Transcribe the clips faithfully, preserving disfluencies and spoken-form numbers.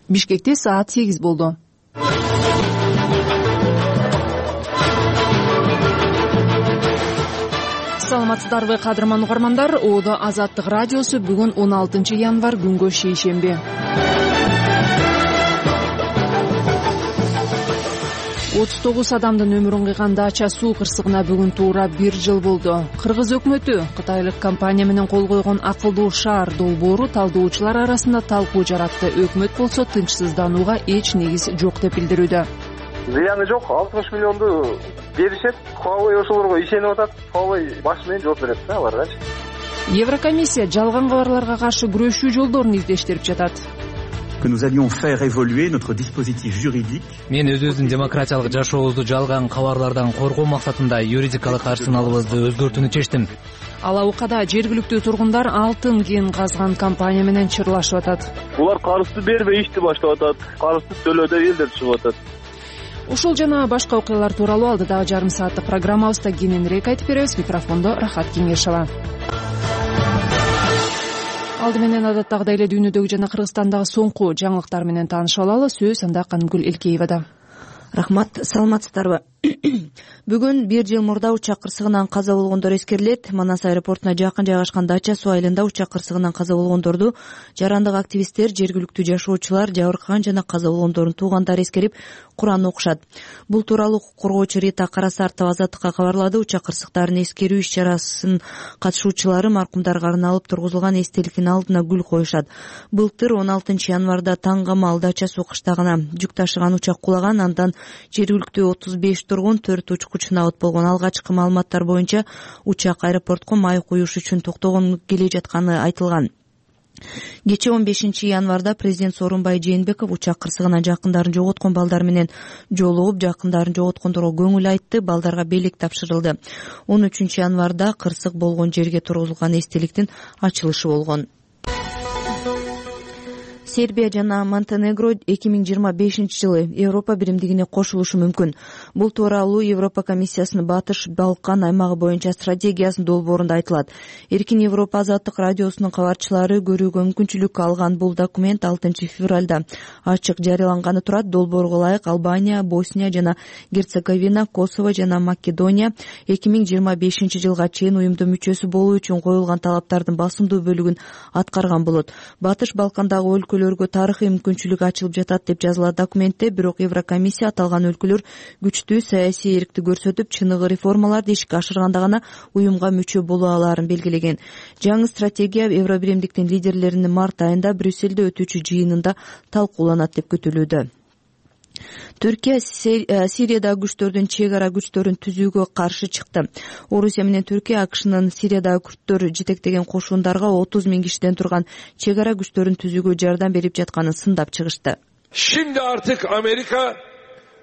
Бишкекте саат сегиз болду. Саламатсыздарбы кадырман угармандар. Оодо Азаттык радиосу бүгүн он алтынчы январь күнгө шейшемби. отуз тогуз адамдын өмүрүн кыйган дача суу кырсыгына бүгүн туура бир жыл болду. Кыргыз өкмөтү кытайлык компания менен кол койгон акылдуу шаар долбоору талдоочулар арасында талкуу жаратты. Өкмөт болсо тынчсызданууга эч негиз жок деп билдирүүдө. Зыяны жок, алтымыш миллионду беришет. Huawei ошолорго ишенип атат. Huawei баш менен жооп берет да аларгачы. Еврокомиссия жалган кабарларга каршы күрөшүү жолдорун издештирип жатат. Que nous allions faire évoluer notre dispositif juridique. Мен өзүбүздүн демократиялык жашообузду жалган кабарлардан коргоо максатында юридикалык арсеналыбызды өзгөртүүнү чечтим. Алаукада жергиликтүү тургундар алтын кен казган компания менен чырлашып атат. Булар карызды бербей ишти баштап атат. Карызды төлөө деп элдер чыгып атат. Ушул жана башка окуялар тууралуу алдыдагы жарым сааттык программабызда кененирээк айтып беребиз. Микрофондо Рахат Кеңешова. Алды менен адаттагыдай эле дүйнөдөгү жана Кыргызстандагы соңку жаңылыктар менен таанышып алалы. Сөз анда Канымгүл Элкеевада. Рахмат, саламатсыздарбы? Бүгүн бир жыл мурда учак кырсыгынан каза болгондор эскерилет. Манас аэропортуна жакын жайгашкан Дача суу айылында учак кырсыгынан каза болгондорду жарандык активисттер, жергиликтүү жашоочулар, жабыркаган жана каза болгондордун туугандары эскерип, Куран окушат. Бул тууралуу укук коргоочу Рита Карасартова Азаттыкка кабарлады. Учак кырсыктарын эскерүү иш-чарасын катышуучулары маркумдарга арналып тургузулган эстеликтин алдына гүл коюшат. Былтыр он алтынчы январда таңгамал Дача суу кыштагына жүк ташыган учак кулаган. Андан жергиликтүү отуз беш тургун, төрт учкуч набыт болгон. Алгачкы маалыматтар боюнча учак аэропортко май куюш үчүн токтогон келе жатканы айтылган. Кечээ он бешинчи январда президент Сооронбай Жээнбеков учак кырсыгынан жакындарын жоготкон балдар менен жолугуп, жакындарын жоготкондорго көңүл айтты, балдарга белек тапшырылды. он үчүнчү январда кырсык болгон жерге тургузулган эстеликтин ачылышы болгон. Сербия жана Монтенегро эки миң жыйырма бешинчи жылы Европа биримдигине кошулушу мүмкүн. Бул тууралуу Европа комиссиясынын Батыш Балкан аймагы боюнча стратегиясынын долбоорунда айтылат. Эркин Европа Азаттык радиосунун кабарчылары көрүүгө мүмкүнчүлүк алган бул документ алтынчы февралда ачык жарыяланганы турат. Долбоорго ылайык Албания, Босния жана Герцеговина, Косово жана Македония эки миң жыйырма бешинчи жылга чейин уюмдун мүчөсү болуу үчүн коюлган талаптардын басымдуу бөлүгүн аткарган болот. Батыш Балкандагы өлкөлөр тарыхый мүмкүнчүлүк ачылып жатат деп жазылат документте. Бирок Еврокомиссия аталган өлкөлөр күчтүү саясий эркти көрсөтүп, чыныгы реформаларды ишке ашырганда гана уюмга мүчө боло алаарын белгилеген. Жаңы стратегия Евробиримдиктин лидерлеринин март айында Брюссельде өтүүчү жыйынында талкууланат деп күтүлүүдө. Түркия Сириядагы күчтөрдүн чек ара күчтөрүн түзүүгө каршы чыкты. Орусия менен Түркия АКШнын Сириядагы күчтөр жетектеген кошундарга отуз миң кишиден турган чек ара күчтөрүн түзүүгө жардам берип жатканын сындап чыгышты. Şimdi artık Amerika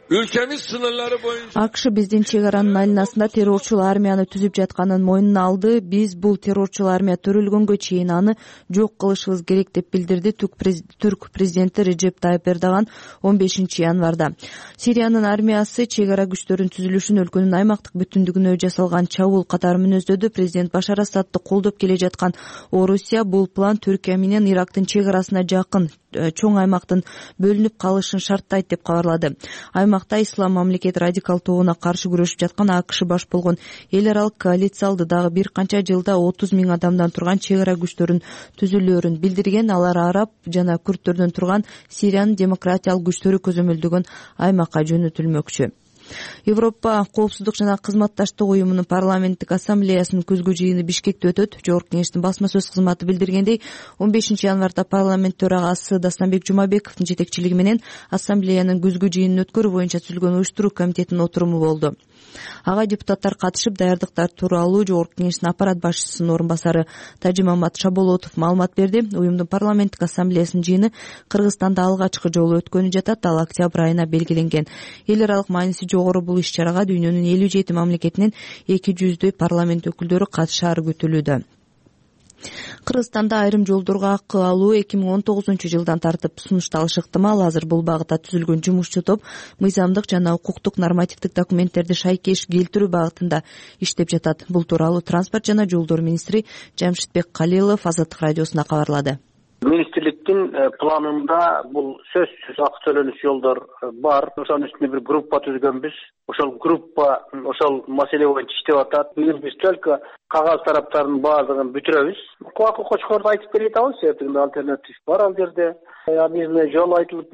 ülkemiz sınırları boyunca АКШ биздин чек аранын айланасында террорчул армияны түзүп жатканын мойнуна алды. Биз бул террорчул армия төрөлгөнгө чейин аны жок кылышыбыз керек деп билдирди Түрк президенти Режеп Тайып Эрдоган он бешинчи январда. Сириянын армиясы чек ара күчтөрүнүн түзүлүшүн өлкөнүн аймактык бүтүндүгүнө жасалган чабуул катары мүнөздөдү. Президент Башар Асадты колдоп келе жаткан Орусия бул план Түркия менен Ирактын чек арасына жакын чоң аймактын бөлүнүп калышын шарттайт деп кабарлады. Аймакта Ислам мамлекет радикал тобуна каршы күрөшүп жаткан АКШ баш болгон эл аралык коалиция алды дагы бир канча жылда отуз миң адамдан турган чек ара күчтөрүн түзүлөөрүн билдирген. Алар араб жана күрттөрдөн турган Сириянын демократиялык күчтөрү көзөмөлдөгөн аймакка жөнөтүлмөкчү. Европа коопсуздук жана кызматташтык уюмунун парламенттик ассамблеясынын күзгү жыйыны Бишкекте өтөт. Жогорку кеңештин басма сөз кызматы билдиргендей, он бешинчи январда парламент төрагасы Дастанбек Жумабековдун жетекчилиги менен ассамблеянын күзгү жыйынын өткөрүү боюнча түзүлгөн уюштуруу комитетинин отуруму болду. Ага депутаттар катышып, даярдыктар тууралуу Жогорку кеңештин аппарат башчысынын орун басары Тажимамат Шаболотов маалымат берди. Уюмдун парламенттик ассамблеясынын жыйыны Кыргызстанда алгачкы жолу өткөнү жатат. Ал октябрь айына белгиленген. Эл аралык мааниси жогору бул иш-чарага дүйнөнүн элүү жети мамлекетинен эки жүздөй парламент өкүлдөрү катышаары күтүлүүдө. Кыргызстанда айрым жолдорго акы алуу эки миң он тогузунчу жылдан тартып сунушталышы ыктымал. Азыр бул багытта түзүлгөн жумушчу топ мыйзамдык жана укуктук нормативдик документтерди шайкеш келтирүү багытында иштеп жатат. Бул тууралуу транспорт жана жолдор министри Жамшитбек Калилов Азаттык радиосуна кабарлады. Министрлик биздин планында бул сөзсүз акы төлөнүш жолдор бар. Ошонун үстүнө бир группа түзгөнбүз. Ошол группа ошол маселе боюнча иштеп атат. Быйыл биз только кагаз тараптарынын баардыгын бүтүрөбүз. Кубакы Кочкорду айтып бере атабыз, себеби альтернатив бар ал жерде. Бизде жол айтылып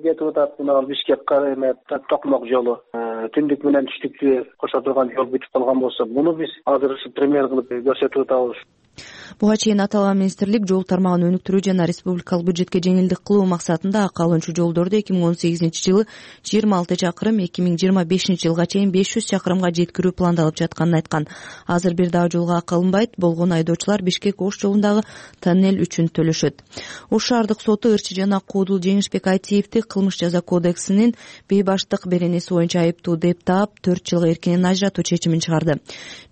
кетип атат, мына Бишкек эме Токмок жолу. Түндүк менен түштүктү кошо турган жол бүтүп калган болсо, муну биз азыр пример кылып көрсөтүп атабыз. Буга чейин аталган министрлик жол тармагын өнүктүрүү жана республикалык бюджетке жеңилдик кылуу максатында акы алуучу жолдорду эки миң он сегизинчи жылы жыйырма алты чакырым, эки миң жыйырма бешинчи жылга чейин беш жүз чакырымга жеткирүү пландалып жатканын айткан. Азыр бир дагы жолго акы алынбайт болгон айдоочулар Бишкек-Ош жолундагы тоннель үчүн төлөшөт. Ош шаардык соту Ырчы жана Куудул Жеңишбек Айтиевди кылмыш жаза кодексинин бейбаштык беренеси боюнча айыптуу деп таап, төрт жылга эркинен ажыратуу чечимин чыгарды.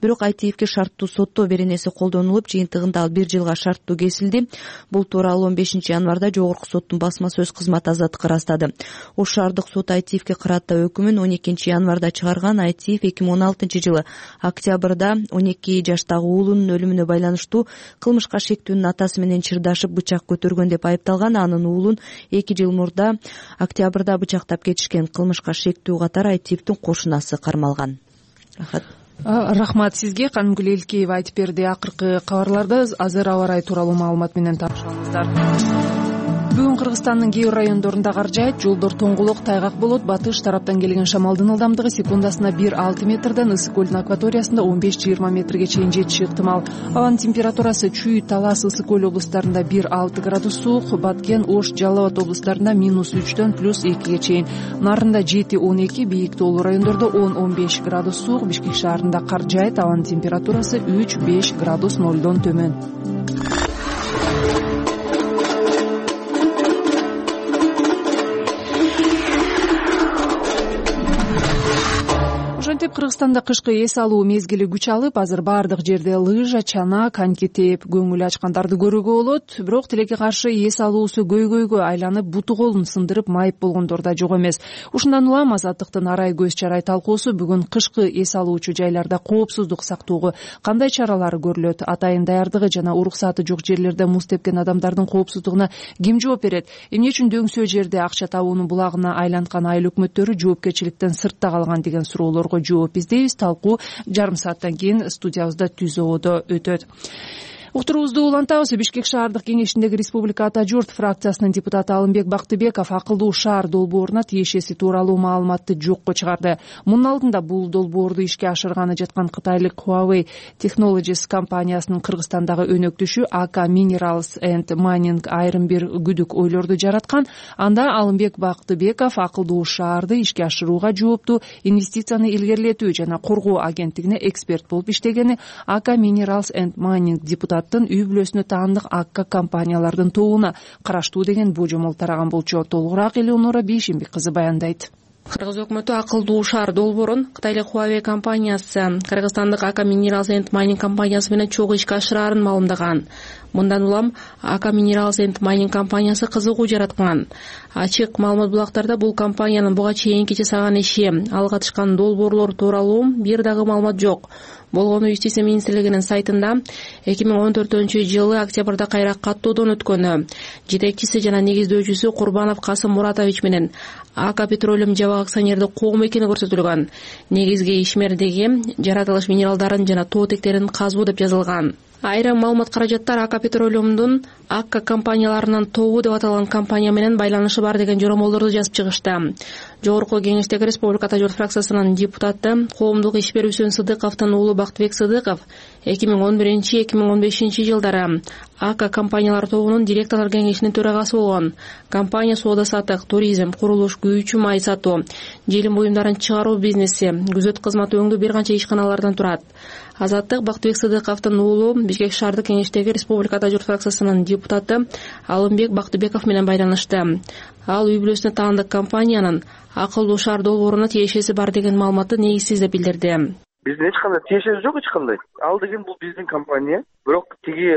Бирок Айтиевге шарттуу соттоо беренеси колдонулуп, жыйынтыгында ал бир жылга шарттуу кесилди. Бул тууралуу он бешинчи январда жогорку соттун басма сөз кызматы азаттыкка ырастады. Ош шаардык сот Айтиевге кырааттаа өкүмүн он экинчи январда чыгарган. Айтиев эки миң он алтынчы жылы октябрда он эки жаштагы уулунун өлүмүнө байланыштуу кылмышка шектүүнүн атасы менен чырдашып бычак көтөргөн деп айыпталган. Анын уулун эки жыл мурда октябрда бычактап кетишкен. Кылмышка шектүү катары Айтиевдин кошунасы кармалган. Рахмат сизге. Канымгүл Элкеева айтып берди. Акыркы кабарларда азыр аба ырайы тууралуу маалымат менен таанышабыздар. Бүгүн Кыргызстандын кээ бир райондорунда кар жаайт, жолдор тоңголок, тайгак болот. Батыш тараптан келген шамалдын ылдамдыгы секундасына бир алты метрден, ысык көлдүн акваториясында он беш жыйырма метрге чейин жетиши ыктымал. Абанын температурасы Чүй, Талас, Ысык көл облустарында бир алты градус суук, Баткен, Ош, Жалал Абад облустарында минус үчтөн плюс экиге чейин. Нарында жети он эки, бийик тоолуу райондордо он он беш градус суук, Бишкек шаарында кар жаайт, абанын температурасы үч беш градус нолдон төмөн. Ошентип Кыргызстанда кышкы эс алуу мезгили күч алып, азыр баардык жерде лыжа, чана, коньки тээп көңүл ачкандарды көрүүгө болот. Бирок тилекке каршы эс алуусу көйгөйгө айланып, буту колун сындырып майып болгондор да жок эмес. Ушундан улам Азаттыктын арай көз чарай талкуусу бүгүн кышкы эс алуучу жайларда коопсуздук сактоого кандай чаралар көрүлөт, атайын даярдыгы жана уруксаты жок жерлерде муз тепкен адамдардын коопсуздугуна ким жооп берет? Эмне үчүн дөңсөө жерде акча табуунун булагына айланткан айыл өкмөттөрү жоопкерчиликтен сыртта калган деген суроолорго жооп издейбиз. Талкуу жарым сааттан кийин студиябызда түз ободо өтөт. Уктуруубузду улантабыз. Бишкек шаардык кеңешиндеги Республика Ата журт фракциясынын депутаты Алымбек Бактыбеков акылдуу шаар долбооруна тиешеси тууралуу маалыматты жокко чыгарды. Мунун алдында бул долбоорду ишке ашырганы жаткан кытайлык Huawei Technologies компаниясынын Кыргызстандагы өнөктүшү Aka Minerals and Mining айрым бир күдүк ойлорду жараткан. Анда Алымбек Бактыбеков акылдуу шаарды ишке ашырууга жооптуу инвестицияны илгерилетүү жана коргоо агенттигине эксперт болуп иштегени, Aka Minerals and Mining депутат үй бүлөсүнө таандык Акка компаниялардын тобуна караштуу деген божомол тараган болчу. Толугураак Элеонора Бейшимбек кызы баяндайт. Кыргыз өкмөтү акылдуу шаар долбоорун кытайлык Huawei компаниясы Кыргызстандык Aka Minerals and Mining компаниясы менен чогуу ишке ашырарын маалымдаган. Мындан улам Aka Minerals and Mining компаниясы кызыгуу жараткан. Ачык маалымат булактарда бул компаниянын буга чейинки жасаган иши, алга тышкан долбоорлор тууралуу бир дагы маалымат жок. Болгону Юстиция министрлигинин сайтында эки миң он төртүнчү жылы октябрда кайра каттоодон өткөнү, жетекчиси жана негиздөөчүсү Курбанов Касым Муратович менен Aka Petroleum жабык акционердик коому экени көрсөтүлгөн. Негизги ишмердиги жаратылыш минералдарын жана тоо тектерин казуу деп жазылган. Айрым маалымат каражаттар Aka Petroleum'дун Акка компанияларынын тобу деп аталган компания менен байланышы бар деген жоромолдорду жазып чыгышты. Жогорку кеңештеги Республика Ата журт фракциясынын депутаты коомдук иш берүүчүсү Сыдыковдун уулу Бактыбек Сыдыков эки миң он биринчи эки миң он бешинчи жылдары Акка компаниялар тобунун директорлор кеңешинин төрагасы болгон. Компания соода саттык, туризм, курулуш, күйүүчү май сатуу, желим буюмдарын чыгаруу бизнеси, күзөт кызматы өңдүү бир канча ишканалардан турат. Азаттык Бактыбек Сыдыковдун уулу Бишкек шаардык кеңештеги Республика Ата журт фракциясынын депутаты Алымбек Бактыбеков менен байланышты. Ал үй бүлөсүнө таандык компаниянын акылдуу шаар долбооруна тиешеси бар деген маалыматты негизсиз деп билдирди. Биздин эч кандай тиешеси жок, эч кандай. Ал деген бул биздин компания, бирок тиги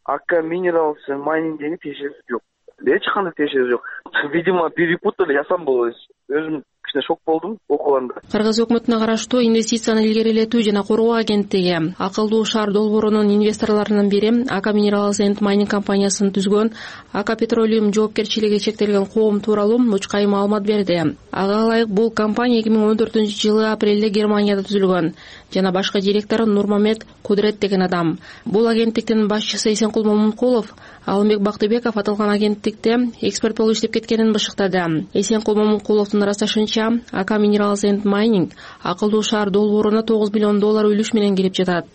Aka Minerals and Mining деген тиешеси жок. Эч кандай тиешеси жок. Видимо, перепутали, я сам был өзүм кичине шок болдум окуганда. Кыргыз өкмөтүнө караштуу инвестицияны илгерилетүү жана коргоо агенттиги Акылдуу шаар долбоорунун инвесторлорунун бири Ака Minerals and Mining компаниясын түзгөн Ака Petroleum жоопкерчилиги чектелген коом тууралуу мучкай маалымат берди. Ага ылайык бул компания эки миң он төртүнчү жылы апрелде Германияда түзүлгөн жана башкы директору Нурмамет Кудрет деген адам. Бул агенттиктин башчысы Эсенкул Момункулов Алымбек Бактыбеков аталган агенттикте эксперт болуп иштеп кеткенин бышыктады. Эсенкул Момункуловдун ырасташынча, Ака Minerals and Mining Акылдуу шаар долбооруна тогуз миллион доллар үлүш менен кирип жатат.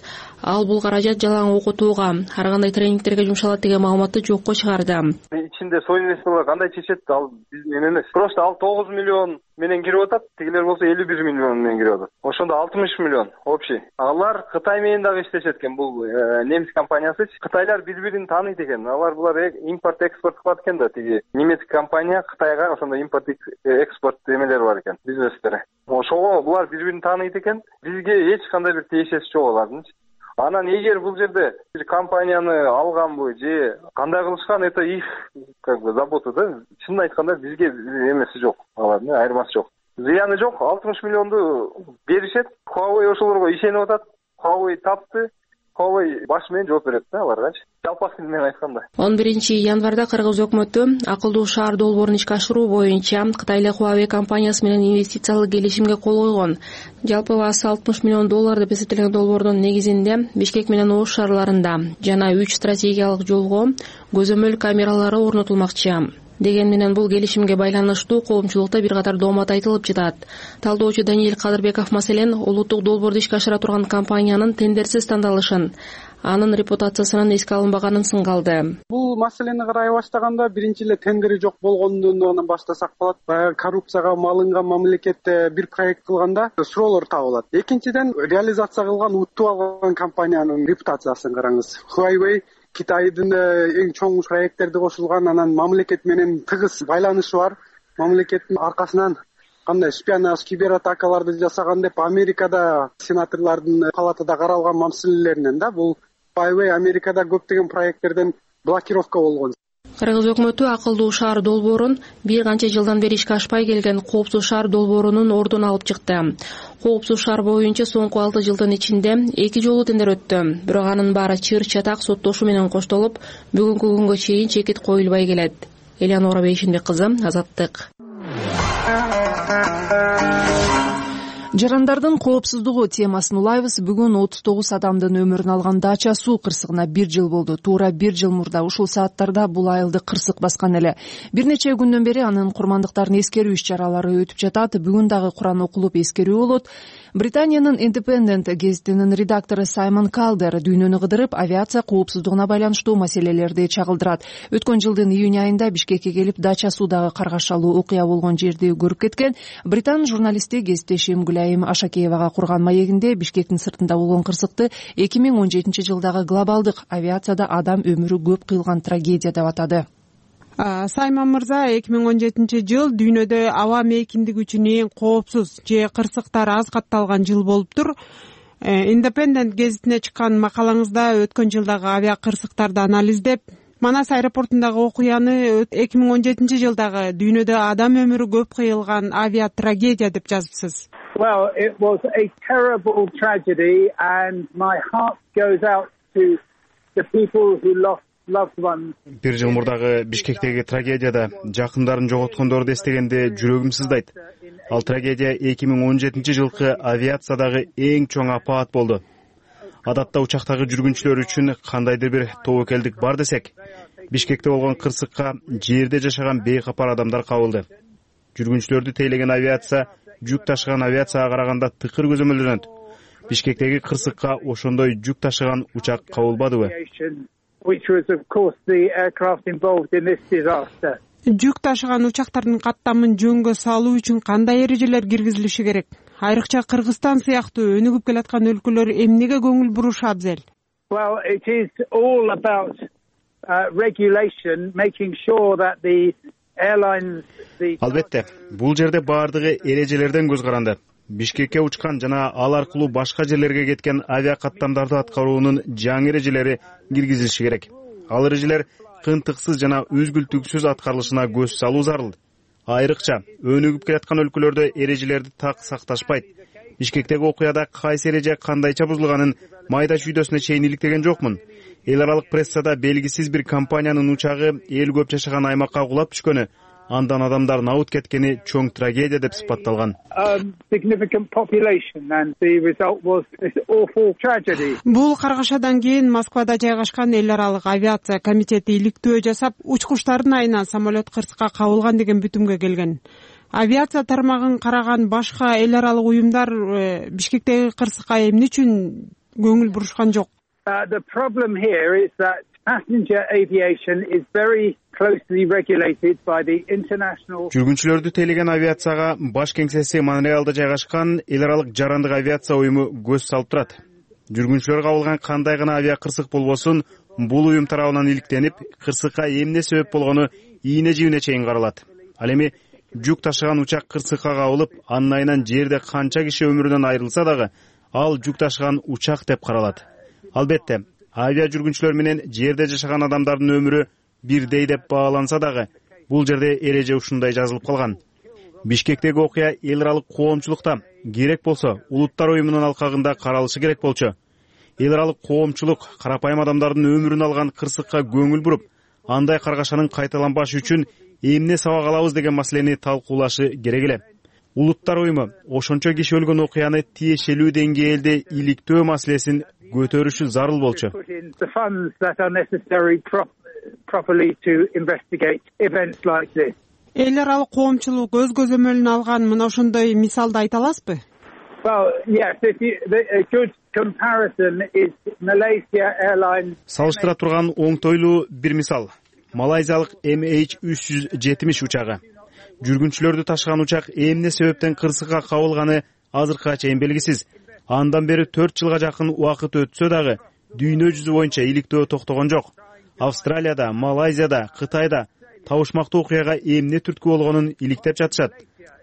Ал бул каражат жалаң окутууга, ар кандай тренингтерге жумшалат деген маалыматты жокко чыгарды. Ичинде соинвесторлор кандай чечет, ал биз менен эмес. Просто ал тогуз миллион менен кирип атат, тигилер болсо элүү бир миллион менен кирип атат. Ошондо алтымыш миллион общий. Алар Кытай менен дагы иштешет экен, бул немис компаниясы. Кытайлар бири-бирин тааныйт экен. Алар булар импорт экспорт кылат экен да, тиги немецкий компания Кытайга ошондо импорт экспорт эмелери бар экен, бизнестери. Ошого булар бири-бирин тааныйт экен. Бизге эч кандай бир тиешеси жок алардын. Анан эгер бул жерде бир компанияны алганбы же кандай кылышкан, это их как бы забота да. Чынын айтканда бизге эмеси жок, алардын айырмасы жок. Зыяны жок, алтымыш миллионду беришет. Huawei ошолорго ишенип атат. Huawei тапты. Huawei баш менен жооп берет да аларгачы. Жалпак тил менен айтканда. он биринчи январда Кыргыз өкмөтү Акылдуу шаар долбоорун ишке ашыруу боюнча Кытайлык Huawei компаниясы менен инвестициялык келишимге кол койгон. Жалпы баасы алтымыш миллион доллар деп эсептелген долбоордун негизинде Бишкек менен Ош шаарларында жана үч стратегиялык жолго көзөмөл камералары орнотулмакчы. Деген менен бул келишимге байланыштуу коомчулукта бир катар доомат айтылып жатат. Талдоочу Даниил Кадырбеков маселен улуттук долбоорду ишке ашыра турган компаниянын тендерсиз тандалышын, анын репутациясынын эске алынбаганын сынгалды. Бул маселени карай баштаганда биринчи эле тендери жок болгондон баштасак болот. Баягы коррупцияга малынган мамлекетте бир проект кылганда суроолор табылат. Экинчиден, реализация кылган, утуп алган компаниянын репутациясын караңыз. Huawei Китайдын эң чоң проекттерди кошулган, анан мамлекет менен тыгыз байланышы бар. Мамлекеттин аркасынан кандай шпионаж, кибератакаларды жасаган деп Америкада сенаторлордун палатада каралган маселелеринен да бул Huawei Америкада көптөгөн проекттерден блокировка болгон. Кыргыз өкмөтү Акылдуу шаар долбоорун бир канча жылдан бери ишке ашпай келген Коопсуз шаар долбоорунун ордун алып чыкты. Коопсуз шаар боюнча соңку алты жылдын ичинде эки жолу тендер өттү. Бирок анын баары чыр-чатак соттошуу менен коштолуп, бүгүнкү күнгө чейин чекит коюлбай келет. Элеонора Бейшинбек кызы, Азаттык. Жарандардын коопсуздугу темасын улайбыз. Бүгүн отуз тогуз адамдын өмүрүн алган Дача суу кырсыгына бир жыл болду. Туура бир жыл мурда ушул сааттарда бул айылды кырсык баскан эле. Бир нече күндөн бери анын курмандыктарын эскерүү иш-чаралары өтүп жатат. Бүгүн дагы Куран окулуп эскерүү болот. Британиянын Independent гезитинин редактору Саймон Калдер дүйнөнү кыдырып, авиация коопсуздугуна байланыштуу маселелерди чагылдырат. Өткөн жылдын июнь айында Бишкекке келип, Дача суудагы каргашалуу окуя болгон жерди көрүп кеткен Британ журналисти кесиптешим Гүлайым Ашакеевага курган маегинде Бишкектин сыртында болгон кырсыкты эки миң он жетинчи жылдагы глобалдык авиацияда адам өмүрү көп кыйылган трагедия деп атады. Саймон мырза, эки миң он жетинчи жыл дүйнөдө аба мейкиндиги үчүн эң коопсуз же кырсыктар аз катталган жыл болуптур. Independent гезитине чыккан макалаңызда өткөн жылдагы авиа кырсыктарды анализдеп, Манас аэропортундагы окуяны эки миң он жетинчи жылдагы дүйнөдө адам өмүрү көп кыйылган авиа трагедия деп жазыпсыз. Well, it was a terrible tragedy and my heart goes out to the people who lost loved ones. Бир жыл мурдагы Бишкектеги трагедияда жакындарын жоготкондорду эстегенде жүрөгүм сыздайт. Ал трагедия эки миң он жетинчи жылкы авиациядагы эң чоң апаат болду. Адатта учактагы жүргүнчүлөр үчүн кандайдыр бир тобокелдик бар десек, Бишкекте болгон кырсыкка жерде жашаган бейкапар адамдар кабылды. Жүргүнчүлөрдү тейлеген авиация жүк ташыган авиацияга караганда тыкыр көзөмөлдөнөт. Бишкектеги кырсыкка ошондой жүк ташыган учак кабылбадыбы? Жүк ташыган учактардын каттамын жөнгө салуу үчүн кандай эрежелер киргизилиши керек? Айрыкча Кыргызстан сыяктуу өнүгүп келаткан өлкөлөр эмнеге көңүл бурушу абзел? Well, it is all about uh, regulation, making sure that the airlines the Албетте, бул жерде баардыгы эрежелерден көз каранды. Бишкекке учкан жана ал аркылуу башка жерлерге кеткен авиа каттамдарды аткаруунун жаңы эрежелери киргизилиши керек. Ал эрежелер кыйынтыксыз жана үзгүлтүксүз аткарылышына көз салуу зарыл. айрыкча өнүгүп келаткан өлкөлөрдө эрежелерди так сакташпайт. Бишкектеги окуяда кайсы эреже кандайча бузулганын майда чүйдөсүнө чейин иликтеген жокмун. Эл аралык прессада белгисиз бир компаниянын учагы эл көп жашаган аймакка кулап түшкөнү, андан адамдар набыт кеткени чоң трагедия деп сыпатталган. Бул каргашадан кийин Москвада жайгашкан эл аралык авиация комитети иликтөө жасап, учкучтардын айынан самолет кырсыкка кабылган деген бүтүмгө келген. Авиация тармагын караган башка эл аралык уюмдар Бишкектеги кырсыкка эмне үчүн көңүл бурушкан жок? The problem here is that passenger aviation is very closely regulated by the international. Жүргүнчүлөрдү тейлеген авиацияга баш кеңсеси Монреалда жайгашкан эл аралык жарандык авиация уюму көз салып турат. Жүргүнчүлөр кабылган кандай гана авиа кырсык болбосун, бул уюм тарабынан иликтенип, кырсыкка эмне себеп болгону ийне жибине чейин каралат. Ал эми жүк ташыган учак кырсыкка кабылып, анын айынан жерде канча киши өмүрүнөн айрылса дагы, ал жүк ташыган учак деп каралат. Албетте, авиа жүргүнчүлөр менен жерде жашаган адамдардын өмүрү бирдей деп бааланса дагы, бул жерде эреже ушундай жазылып калган. Бишкектеги окуя эл аралык коомчулукта, керек болсо улуттар уюмунун алкагында каралышы керек болчу. Эл аралык коомчулук карапайым адамдардын өмүрүн алган кырсыкка көңүл буруп, андай каргашанын кайталанбашы үчүн эмне сабак алабыз деген маселени талкуулашы керек эле. Улуттар уюму ошончо киши өлгөн окуяны тиешелүү деңгээлде иликтөө маселесин көтөрүшү зарыл болчу. Эл аралык коомчулук өз көзөмөлүнө алган мына ошондой мисалды айта аласызбы? Салыштыра турган оңтойлуу бир мисал. Малайзиялык эм эйч үч жүз жетимиш учагы. Жүргүнчүлөрдү ташыган учак эмне себептен кырсыкка кабылганы азыркыга чейин белгисиз. Андан бери төрт жылга жакын убакыт өтсө дагы дүйнө жүзү боюнча иликтөө токтогон жок. Австралияда, Малайзияда, Кытайда табышмактуу окуяга эмне түрткү болгонун иликтеп жатышат.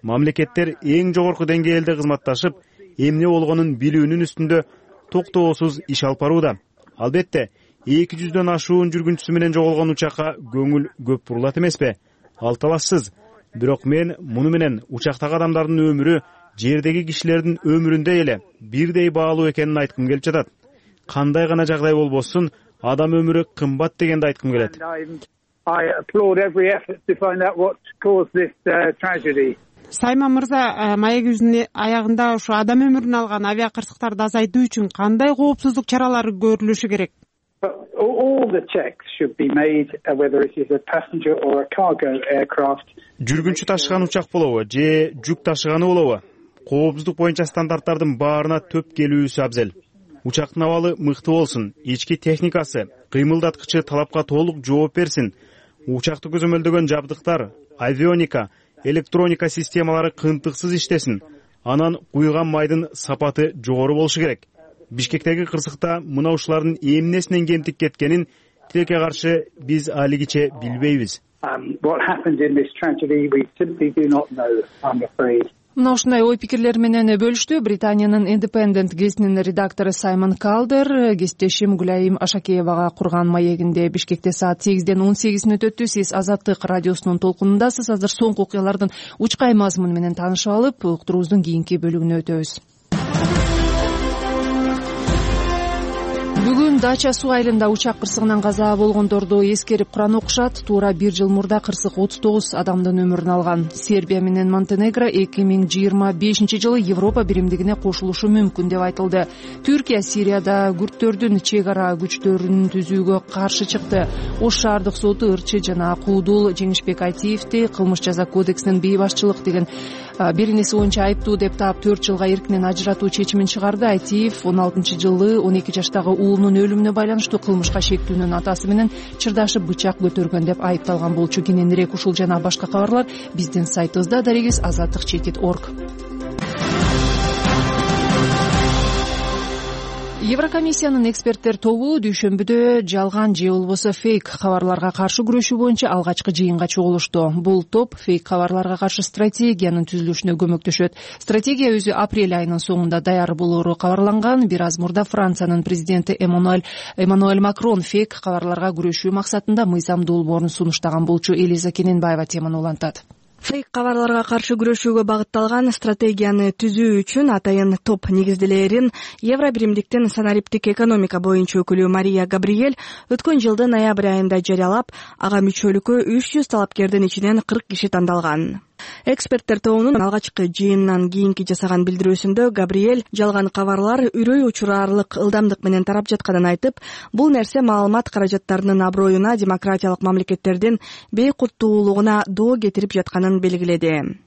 Мамлекеттер эң жогорку деңгээлде кызматташып, эмне болгонун билүүнүн үстүндө токтоосуз иш алып барууда. Албетте, эки жүздөн ашуун жүргүнчүсү менен жоголгон учакка көңүл көп бурулат эмеспи? Ал талашсыз. Бирок мен муну менен учактагы адамдардын өмүрү жердеги кишилердин өмүрүндөй эле бирдей баалуу экенин айткым келип жатат. Кандай гана жагдай болбосун, адам өмүрү кымбат дегенди айткым келет. Сайман мырза, маегибиздин аягында ушу адам өмүрүн алган авиа кырсыктарды азайтуу үчүн кандай коопсуздук чаралары көрүлүшү керек? Жүргүнчү ташыган учак болобу же жүк ташыганы болобу? Коопсуздук боюнча стандарттардын баарына төп келүүсү абзел. Учактын абалы мыкты болсун, ички техникасы, кыймылдаткычы талапка толук жооп берсин. Учакты көзөмөлдөгөн жабдыктар, авионика, электроника системалары кынтыксыз иштесин. Анан куйган майдын сапаты жогору болушу керек. Бишкектеги кырсыкта мына ушулардын эмнесинен кемтик кеткенин тилекке каршы биз алигиче билбейбиз. Мына ушундай ой пикирлер менен бөлүштү Британиянын Independent гезитинин редактору Саймон Калдер. Кесиптешим Гүлайым Ашакеевага курган маегинде Бишкекте саат сегизден он сегиз мүнөт өттү. Сиз Азаттык радиосунун толкунундасыз. Азыр соңку окуялардын учкай мазмуну менен таанышып алып, уктуруубуздун кийинки бөлүгүнө өтөбүз. Бүгүн Дача суу айылында учак кырсыгынан каза болгондорду эскерип куран окушат. Туура бир жыл мурда кырсык отуз тогуз адамдын өмүрүн алган. Сербия менен Монтенегро эки миң жыйырма бешинчи жылы Европа биримдигине кошулушу мүмкүн деп айтылды. Түркия Сирияда күрттөрдүн чек ара күчтөрүн түзүүгө каршы чыкты. Ош шаардык соту ырчы жана Куудул Жеңишбек Айтиевди кылмыш жаза кодексинин бейбашчылык деген беренеси боюнча айыптуу деп таап төрт жылга эркинен ажыратуу чечимин чыгарды. Айтиев он алтынчы жылы он эки жаштагы уулунун өлүмүнө байланыштуу кылмышка шектүүнүн атасы менен чырдашып бычак көтөргөн деп айыпталган болчу. Кененирээк ушул жана башка кабарлар биздин сайтыбызда дарегиз азаттык чекит точка орг. Еврокомиссиянын эксперттер тобу дүйшөмбүдө жалган же болбосо фейк кабарларга каршы күрөшүү боюнча алгачкы жыйынга чогулушту. Бул топ фейк кабарларга каршы стратегиянын түзүлүшүнө көмөктөшөт. Стратегия өзү апрель айынын соңунда даяр болоору кабарланган. Бир аз мурда Франциянын президенти Эммануэль Эммануэль Макрон фейк кабарларга күрөшүү максатында мыйзам долбоорун сунуштаган болчу. Элиза Кененбаева теманы улантат. Фейк кабарларга каршы күрөшүүгө багытталган стратегияны түзүү үчүн атайын топ негизделерин Евро биримдиктин санариптик экономика боюнча өкүлү Мария Габриэль өткөн жылдын ноябрь айында жарыялап, ага мүчөлүккө үч жүз талапкердин ичинен кырк киши тандалган. Эксперттер тобунун алгачкы жыйынынан кийинки жасаган билдирүүсүндө Габриэль жалган кабарлар үрөй учураарлык ылдамдык менен тарап жатканын айтып, бул нерсе маалымат каражаттарынын аброюна, демократиялык мамлекеттердин бейкурттуулугуна доо кетирип жатканын белгиледи.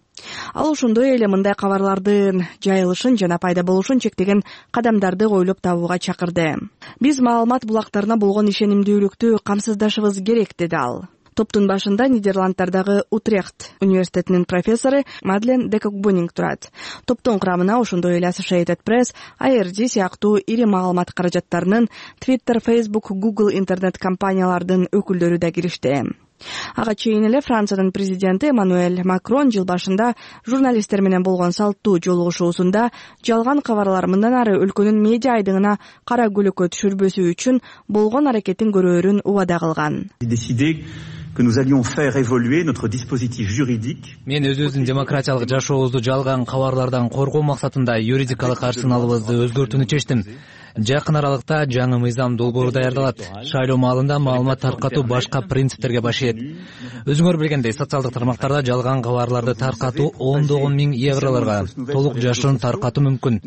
Ал ошондой эле мындай кабарлардын жайылышын жана пайда болушун чектеген кадамдарды ойлоп табууга чакырды. Биз маалымат булактарына болгон ишенимдүүлүктү камсыздашыбыз керек, деди ал. Топтун башында Нидерланддардагы Утрехт университетинин профессору Мадлен Декокбунинг турат. Топтун курамына ошондой эле Associated Press, эй эр ди сыяктуу ири маалымат каражаттарынын, Twitter, Facebook, Google интернет компаниялардын өкүлдөрү да киришти. Ага чейин эле Франциянын президенти Эммануэль Макрон жыл башында журналисттер менен болгон салттуу жолугушуусунда жалган кабарлар мындан ары өлкөнүн медиа айдыңына кара көлөккө түшүрбөсү үчүн болгон аракетин көрөөрүн убада кылган. Que nous allions faire évoluer notre dispositif juridique. Мен өзүбүздүн демократиялык жашообузду жалган кабарлардан коргоо максатында юридикалык арсеналыбызды өзгөртүүнү чечтим. Жакын аралыкта жаңы мыйзам долбоору даярдалат. Шайлоо маалында маалымат таркатуу башка принциптерге баш ийет. Өзүңөр билгендей, социалдык тармактарда жалган кабарларды таркатуу ондогон миң евролорго толук жашырын таркатуу мүмкүн.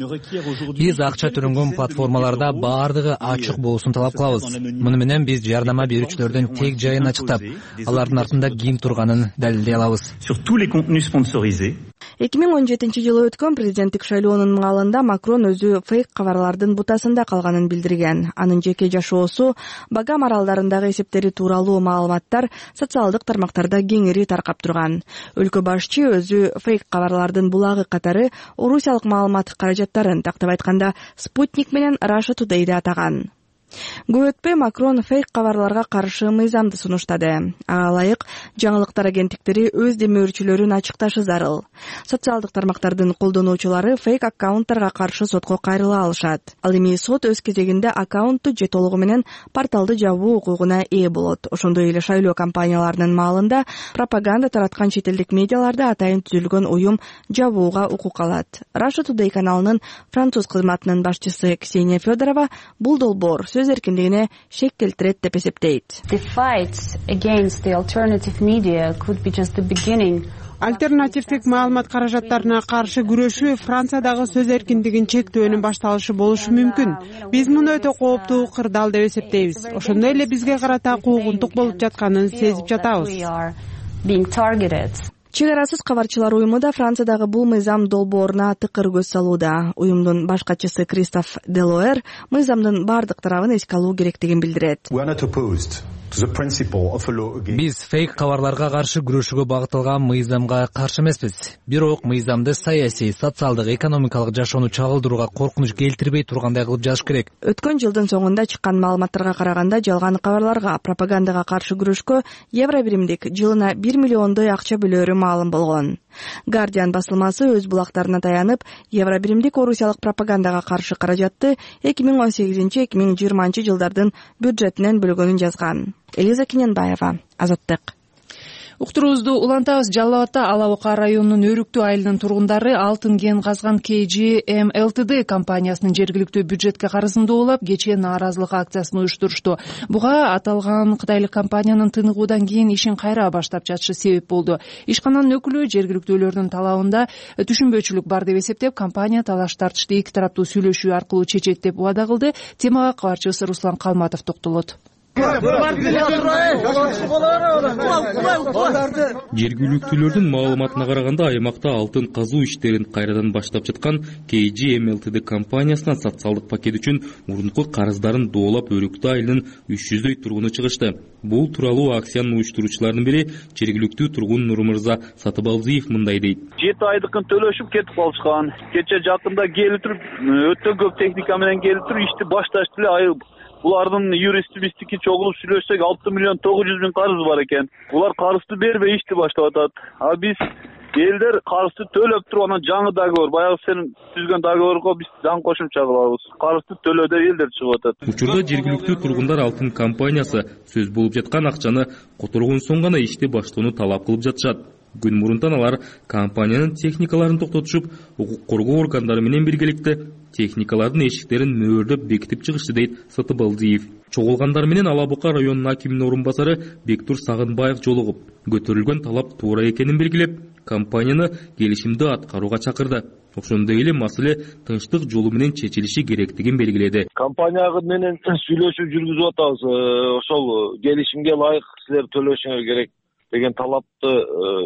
Биз акча төлөнгөн платформаларда баардыгы ачык болушун талап кылабыз. Муну менен биз жардама берүүчүлөрдүн тег жайын ачыктап, алардын артында ким турганын далилдей алабыз. Sur tous les contenus sponsorisés. эки миң он жетинчи жылы өткөн президенттик шайлоонун маалында Макрон өзү фейк кабарлардын бутасында калганын билдирген. Анын жеке жашоосу, Багам аралдарындагы эсептери тууралуу маалыматтар социалдык тармактарда кеңири таркап турган. Өлкө башчы өзү фейк кабарлардын булагы катары орусиялык маалымат каражаттарын, тактап айтканда Спутник менен Russia Today'ди атаган. Көп өтпөй Макрон фейк кабарларга каршы мыйзамды сунуштады. Ага ылайык жаңылыктар агенттиктери өз демөөрчүлөрүн ачыкташы зарыл. Социалдык тармактардын колдонуучулары фейк аккаунттарга каршы сотко кайрыла алышат. Ал эми сот өз кезегинде аккаунтту же толугу менен порталды жабуу укугуна ээ болот. Ошондой эле шайлоо компанияларынын маалында пропаганда тараткан чет элдик медиаларда атайын түзүлгөн уюм жабууга укук алат. Russia Today каналынын француз кызматынын башчысы Ксения Федорова бул долбоор сөз эркиндигине шек келтирет деп эсептейт. Альтернативдик маалымат каражаттарына каршы күрөшүү Франциядагы сөз эркиндигин чектөөнүн башталышы болушу мүмкүн. Биз муну өтө кооптуу кырдаал деп эсептейбиз. Ошондой эле бизге карата куугунтук болуп жатканын сезип жатабыз. Чек арасыз кабарчылар уюму да Франциядагы бул мыйзам долбооруна тыкыр көз салууда. Уюмдун баш катчысы Кристоф Делоэр мыйзамдын бардык тарабын эске алуу керектигин билдирет. Биз фейк кабарларга каршы күрөшүүгө багытталган мыйзамга каршы эмеспиз. Бирок мыйзамды саясий, социалдык, экономикалык жашоону чагылдырууга коркунуч келтирбей тургандай кылып жазыш керек. Өткөн жылдын соңунда чыккан маалыматтарга караганда жалган кабарларга, пропагандага каршы күрөшкө Евро биримдик жылына бир миллиондой акча бөлөөрү маалым болгон. Guardian басылмасы өз булактарына таянып, Евро биримдик орусиялык пропагандага каршы каражатты эки миң он сегизинчи эки миң жыйырманчы жылдардын бюджетинен бөлгөнүн жазган. Элиза Кененбаева, Азаттык. Уктуруубузду улантабыз. Жалал Абадта Ала Бука районунун Өрүктүү айылынын тургундары алтын кен казган кей джи эм эл ти ди компаниясынын жергиликтүү бюджетке карызын доолап, кечээ нааразылык акциясын уюштурушту. Буга аталган кытайлык компаниянын тыныгуудан кийин ишин кайра баштап жатышы себеп болду. Ишкананын өкүлү жергиликтүүлөрдүн талабында түшүнбөчүлүк бар деп эсептеп, компания талаш тартышты эки тараптуу сүйлөшүү аркылуу чечет деп убада кылды. Темага кабарчыбыз Руслан Калматов токтолот. Жергиликтүүлөрдүн маалыматына караганда, аймакта алтын казуу иштерин кайрадан баштап жаткан кей джи эм эл ти ди компаниясынан социалдык пакет үчүн мурунку карыздарын доолап Өрүктүү айылынын үч жүздөй тургуну чыгышты. Бул тууралуу акциянын уюштуруучуларынын бири жергиликтүү тургун Нурмырза Сатыбалдиев мындай дейт. жети айдыкын төлөшүп кетип калышкан. Кече жакында келип туруп, өтө көп техника менен келип туруп ишти башташты эле. Айыл булардын юристи биздики чогулуп сүйлөшсөк алты миллион тогуз жүз миң карыз бар экен. Булар карызды бербей ишти баштап атат. А биз элдер карызды төлөп туруп, анан жаңы договор, баягы сен түзгөн договорго биз жаңы кошумча кылабыз. Карызды төлөө деп элдер чыгып атат. Учурда жергиликтүү тургундар алтын компаниясы сөз болуп жаткан акчаны которгон соң гана ишти баштоону талап кылып жатышат. күн мурунтан алар компаниянын техникаларын токтотушуп, укук коргоо органдары менен биргеликте техникалардын эшиктерин мөөрдөп бекитип чыгышты, дейт Сатыбалдиев. Чогулгандар менен Ала Бука районунун акиминин орун басары Бектур Сагынбаев жолугуп, көтөрүлгөн талап туура экенин белгилеп, компанияны келишимди аткарууга чакырды. Ошондой эле маселе тынчтык жолу менен чечилиши керектигин белгиледи. Компания менен сүйлөшүү жүргүзүп атабыз. Ошол келишимге ылайык силер төлөшүңөр керек деген талапты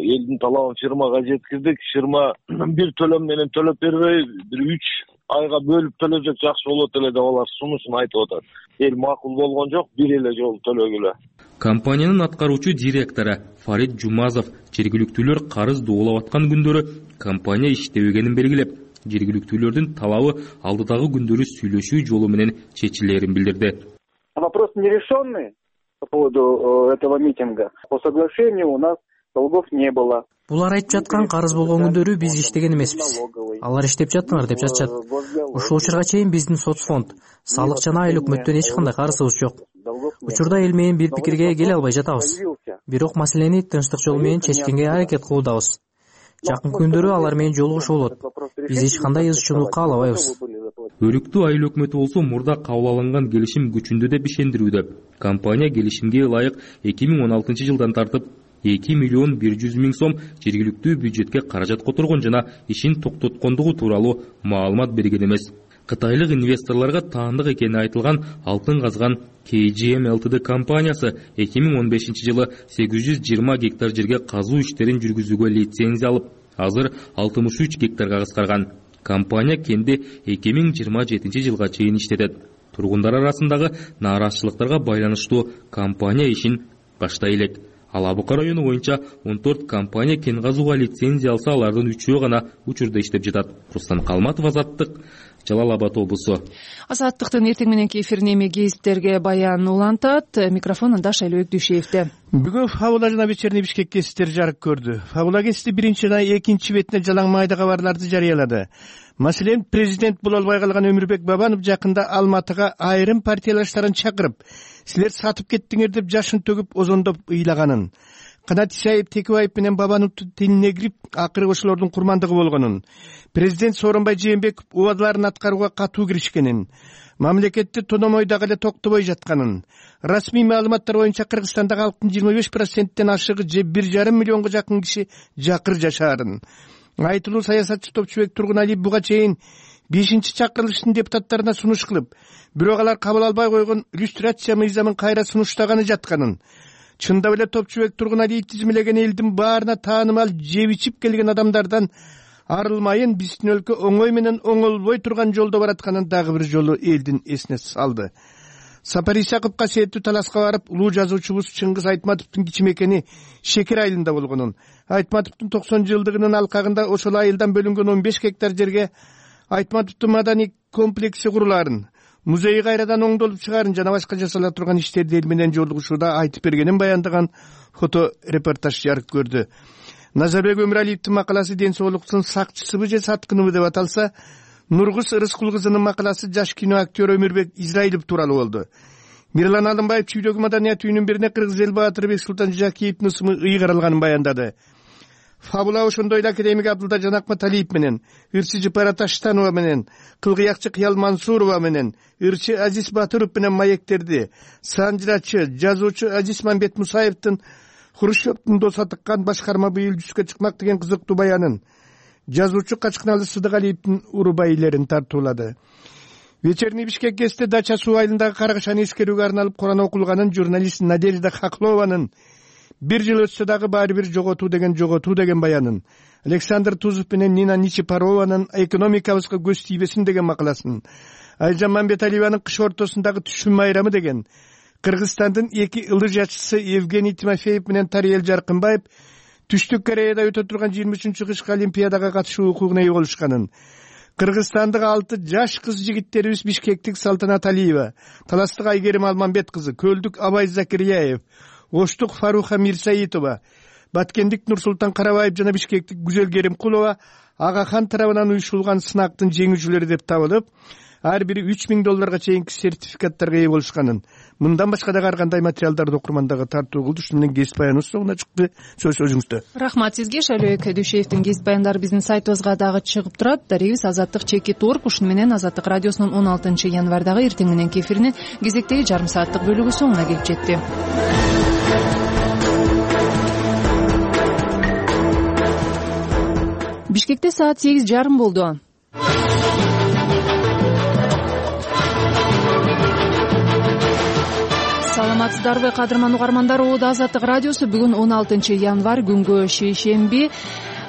элдин талабын фирмага жеткиздик. Фирма бир төлөм менен төлөп бербей, бир үч айга бөлүп төлөсөк жакшы болот эле деп алар сунушун айтып атат. Эл макул болгон жок, бир эле жолу төлөгүлө. Компаниянын аткаруучу директору Фарид Жумазов жергиликтүүлөр карыз доолап аткан күндөрү компания иштебегенин белгилеп, жергиликтүүлөрдүн талабы алдыдагы күндөрү сүйлөшүү жолу менен чечилерин билдирди. Вопрос нерешенный по поводу этого митинга. По соглашению у нас долгов не было. Булар айтып жаткан карыз болгон күндөрү биз иштеген эмеспиз. Алар иштеп жаттыңар деп жатышат. Ушул учурга чейин биздин соцфонд, салык жана айыл өкмөттөн эч кандай карызыбыз жок. Учурда эл менен бир пикирге келе албай жатабыз. Бирок маселени тынчтык жол менен чечкенге аракет кылуудабыз. Жакын күндөрү алар менен жолугушуу болот. Биз эч кандай ыз чуну каалабайбыз. Өрүктүү айыл өкмөтү болсо мурда кабыл алынган келишим күчүндө деп ишендирүүдө. Компания келишимге ылайык эки миң он алтынчы жылдан тартып эки миллион бир жүз миң сом жергиликтүү бюджетке каражат которгон жана ишин токтоткондугу тууралуу маалымат берген эмес. Кытайлык инвесторлорго таандык экени айтылган алтын казган кей джи эм Ltd компаниясы эки миң он бешинчи жылы сегиз жүз жыйырма гектар жерге казуу иштерин жүргүзүүгө лицензия алып, азыр алтымыш үч гектарга кыскарган. Компания кенди эки миң жыйырма жетинчи жылга чейин иштетет. Тургундар арасындагы нааразычылыктарга байланыштуу компания ишин баштай элек. Ала Бука району боюнча он төрт компания кен казууга лицензия алса, алардын үчөө гана учурда иштеп жатат. Рустам Калматов, Азаттык, Жалал Абад облусу. Азаттыктын эртең мененки эфирин эми гезиттерге баян улантат. Микрофонунда Шайлообек Дүйшеевде. Бүгүн Фабула жана Вечерний Бишкек гезиттери жарык көрдү. Фабула гезити биринчи жана экинчи бетине жалаң майда кабарларды жарыялады. Маселен, президент боло албай калган Өмүрбек Бабанов жакында Алматыга айрым партиялаштарын чакырып, силер сатып кеттиңер деп жашын төгүп озондоп ыйлаганын, Канат Исаев Текебаев менен Бабановдун тилине кирип, акыры ошолордун курмандыгы болгонун, президент Сооронбай Жээнбеков убадаларын аткарууга катуу киришкенин, мамлекетти тономойдагы эле токтобой жатканын, расмий маалыматтар боюнча Кыргызстандагы халктын жыйырма беш проценттен ашыгы же бир жарым миллионго жакын киши жакыр жашаарын. Айтылуу саясатчы Топчубек Тургуналиев буга чейин бешинчи чакырылыштын депутаттарына сунуш кылып, бирок алар кабыл албай койгон иллюстрация мыйзамын кайра сунуштаганы жатканын, чындап эле Топчубек Тургуналиев тизмелеген элдин баарына таанымал жеп ичип келген адамдардан арылмайын биздин өлкө оңой менен оңолбой турган жолдо баратканын дагы бир жолу элдин эсине салды. Сапар Исаковго касиеттүү таласка барып, улуу жазуучубуз Чыңгыз Айтматовдун кичимекени Шекер айылында болгонун, Айтматовдун токсон жылдыгынын алкагында ошол айылдан бөлүнгөн он беш гектар жерге Айтматовдун маданий комплекси курулаарын, музей кайрадан оңдолуп чыгаарын жана башка жасала турган иштерди эл менен жолугушууда айтып бергенин баяндаган фото репортаж жарык көрдү. Назарбек Өмүралиевдин макаласы ден соолуктун сакчысыбы же саткыныбы деп аталса, Нургуз Рыскул кызынын макаласы жаш кино актер Өмүрбек Израилов тууралуу болду. Мирлан Алымбаев чүйдөгү маданият үйүнүн бирине Кыргыз эл баатыры Бексултан Жакиевдин ысымы ыйгарылганын баяндады. Фабула ошондой эле академик Абдулда Жанакматалиев менен, ырчы Жыпара Таштанова менен, кылгыякчы Кыял Мансурова менен, ырчы Азиз Батыров менен маектерди, санжырачы, жазуучу Азиз Мамбет Мусаевдин Хрущевдун доса тыккан башкарма быйыл жүзгө чыкмак деген кызыктуу баянын, жазуучу Качкыналы Сыдыгалиевдин урубайлерин тартуулады. Вечерний Бишкек гезити Дача суу айылындагы каргашаны эскерүүгө арналып Куран окулганын журналист Надежда Хаклованын бир жыл өтсө дагы баары бир жоготуу деген жоготуу деген баянын, Александр Тузов менен Нина Ничипарованын экономикабызга көз тийбесин деген макаласын, Айжан Мамбеталиеванын кыш ортосундагы түшүм майрамы деген, Кыргызстандын эки ылыжачысы Евгений Тимофеев менен Тариел Жаркынбаев Түштүк Кореяда өтө турган жыйырма үчүнчү кышкы олимпиадага катышуу укугуна ээ болушканын, Кыргызстандык алты жаш кыз жигиттерибиз Бишкектик Салтанат Алиева, Таластык Айгерим Алмамбет кызы, Көлдүк Абай Закирияев, Оштук Фаруха Мирсаитова, Баткендик Нурсултан Карабаев жана Бишкектик Гүзел Керимкулова Агахан тарабынан уюштурулган сынактын жеңүүчүлөрү деп табылып, ар бири үч миң долларга чейинки сертификаттарга ээ болушканын, мындан башка дагы ар кандай материалдарды окурмандага тартуу кылды. Ушуну менен кесип баяныбыз соңуна чыкты. Сөз өзүңүздө. Рахмат сизге. Шайлообек Дүйшеевдин кесип баяндары биздин сайтыбызга дагы чыгып турат. Дарегибиз азаттык чекит точка орг. Ушуну менен Азаттык радиосунун он алтынчы январдагы эртең мененки эфиринин кезектеги жарым сааттык бөлүгү соңуна келип жетти. Бишкекте саат сегиз жарым болду. Саламатсыздарбы кадырман угармандар? Оодо Азаттык радиосу бүгүн он алтынчы январь күнгө шейшемби.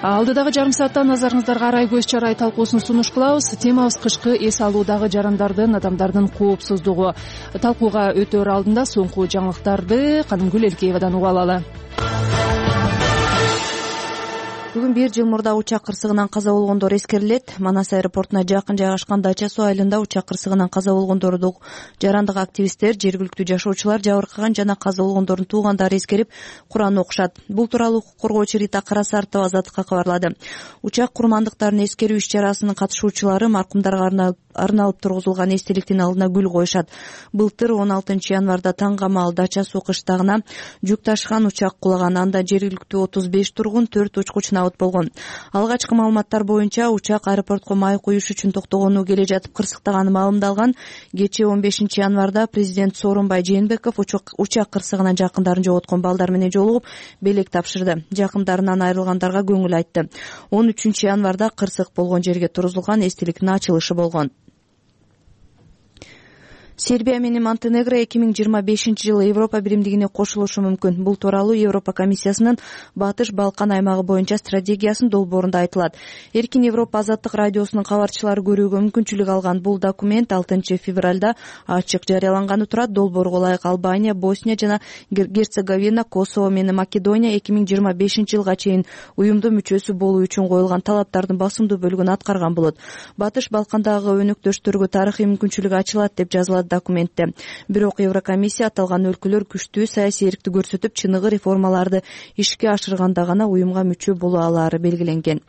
Алдыдагы жарым саатта назарыңыздарга арай көз чарай талкуусун сунуш кылабыз. Темабыз кышкы эс алуудагы жарандардын, адамдардын коопсуздугу. Талкууга өтөр алдында соңку жаңылыктарды Канымгүл Элкеевадан угуп алалы. Бүгүн бир жыл мурда учак кырсыгынан каза болгондор эскерилет. Манас аэропортуна жакын жайгашкан Дача суу айылында учак кырсыгынан каза болгондорду жарандык активисттер, жергиликтүү жашоочулар, жабыркаган жана каза болгондордун туугандары эскерип, Куран окушат. Бул тууралуу укук коргоочу Рита Карасартова Азаттыкка кабарлады. Учак курмандыктарын эскерүү иш-чарасынын катышуучулары маркумдарга арналып тургузулган эстеликтин алдына гүл коюшат. Былтыр он алтынчы январда таңга маал Дача суу кыштагына жүк ташыган учак кулаган. Анда жергиликтүү отуз беш тургун, төрт учкуч набыт болгон. Алгачкы маалыматтар боюнча учак аэропортко май куюш үчүн токтогону келе жатып кырсыктаганы маалымдалган. Кечээ он бешинчи январда президент Сооронбай Жээнбеков учак кырсыгынан жакындарын жоготкон балдар менен жолугуп белек тапшырды. Жакындарынан айрылгандарга көңүл айтты. он үчүнчү январда кырсык болгон жерге тургузулган эстеликтин ачылышы болгон. Сербия менен Монтенегро эки миң жыйырма бешинчи жылы Европа биримдигине кошулушу мүмкүн. Бул тууралуу Европа комиссиясынын Батыш Балкан аймагы боюнча стратегиясынын долбоорунда айтылат. Эркин Европа Азаттык радиосунун кабарчылары көрүүгө мүмкүнчүлүк алган бул документ алтынчы февралда ачык жарыяланганы турат. Долбоорго ылайык Албания, Босния жана Герцеговина, Косово менен Македония эки миң жыйырма бешинчи жылга чейин уюмдун мүчөсү болуу үчүн коюлган талаптардын басымдуу бөлүгүн аткарган болот. Батыш Балкандагы өнөктөштөргө тарыхый мүмкүнчүлүк ачылат деп жазылат документте. Бирок Еврокомиссия аталган өлкөлөр күчтүү саясий эркти көрсөтүп, чыныгы реформаларды ишке ашырганда гана уюмга мүчө боло алаары белгиленген.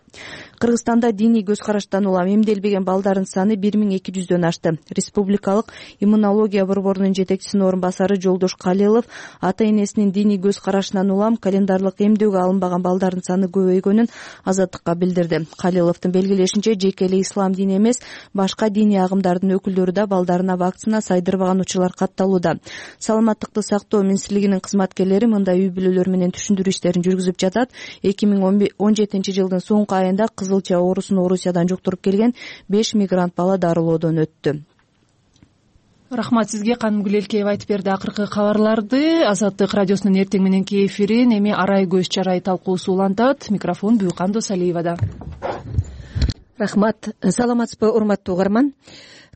Кыргызстанда диний көз караштан улам эмделбеген балдардын саны бир миң эки жүздөн ашты. Республикалык иммунология борборунун жетекчисинин орун басары Жолдош Калилов ата энесинин диний көз карашынан улам календарлык эмдөөгө алынбаган балдардын саны көбөйгөнүн Азаттыкка билдирди. Калиловдун белгилешинче, жеке эле ислам дини эмес, башка диний агымдардын өкүлдөрү да балдарына вакцина сайдырбаган учурлар катталууда. Саламаттыкты сактоо министрлигинин кызматкерлери мындай үй бүлөлөр менен түшүндүрүү иштерин жүргүзүп жатат. эки миң он жетинчи жылдын соңку айында кызылча оорусун Орусиядан жуктуруп келген беш мигрант бала дарылоодон өттү. Рахмат сизге. Канымгүл Элкеева айтып берди акыркы кабарларды. Азаттык радиосунун эртең мененки эфирин эми арай көз чарай талкуусу улантат. Микрофон Бүйкан Досалиевада. Рахмат. Саламатсызбы, урматтуу угарман?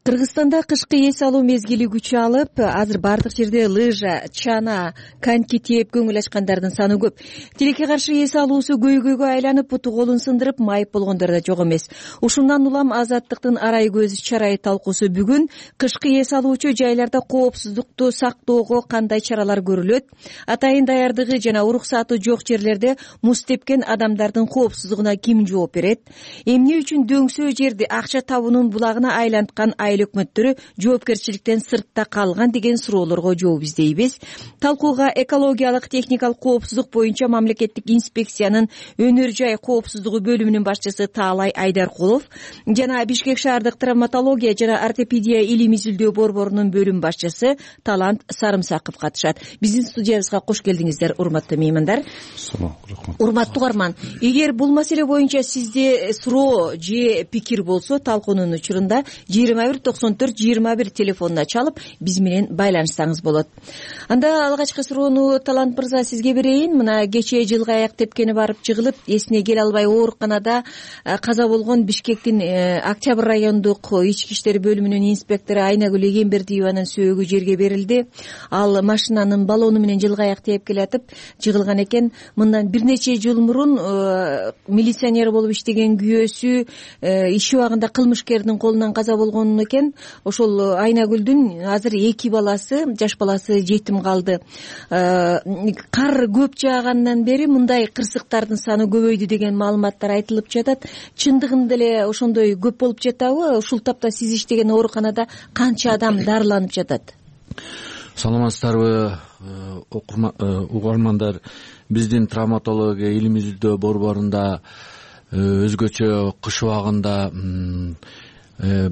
Кыргызстанда кышкы эс алуу мезгили күчү алып, азыр бардык жерде лыжа, чана, коньки тээп көңүл ачкандардын саны көп. Тилекке каршы эс алуусу көйгөйгө айланып, буту колун сындырып, майып болгондор да жок эмес. Ушундан улам Азаттыктын арай көз чарай талкуусу бүгүн кышкы эс алуучу жайларда коопсуздукту сактоого кандай чаралар көрүлөт, атайын даярдыгы жана уруксаты жок жерлерде муз тепкен адамдардын коопсуздугуна ким жооп берет, эмне үчүн дөңсөө жерди акча табуунун булагына айланткан айыл өкмөттөрү жоопкерчиликтен сыртта калган деген суроолорго жооп издейбиз. Талкууга экологиялык техникалык коопсуздук боюнча мамлекеттик инспекциянын өнөр жай коопсуздугу бөлүмүнүн башчысы Таалай Айдаркулов жана Бишкек шаардык травматология жана ортопедия илим изилдөө борборунун бөлүм башчысы Талант Сарымсаков катышат. Биздин студиябызга кош келдиңиздер, урматтуу меймандар. Урматтуу угарман, эгер бул маселе боюнча сизде суроо же пикир болсо, талкуунун учурунда жыйырма бир токсон төрт жыйырма бир телефонуна чалып биз менен байланышсаңыз болот. Анда алгачкы суроону Талант мырза сизге берейин. Мына кечээ жылгы аяк тепкени барып жыгылып, эсине келе албай ооруканада каза болгон Бишкектин Октябрь райондук ички иштер бөлүмүнүн инспектору Айнагүл Эгембердиеванын сөөгү жерге берилди. Ал машинанын баллону менен жылгы аяк тээп келатып жыгылган экен. Мындан бир нече жыл мурун милиционер болуп иштеген күйөөсү иш убагында кылмышкердин колунан каза болгонун экен. Ошол Айнагүлдүн азыр эки баласы, жаш баласы жетим калды. Кар көп жаагандан бери мындай кырсыктардын саны көбөйдү деген маалыматтар айтылып жатат. Чындыгында эле ошондой көп болуп жатабы? Ушул тапта сиз иштеген ооруканада канча адам дарыланып жатат? Саламатсыздарбы, угармандар. Биздин травматология илимий изилдөө борборунда өзгөчө кыш убагында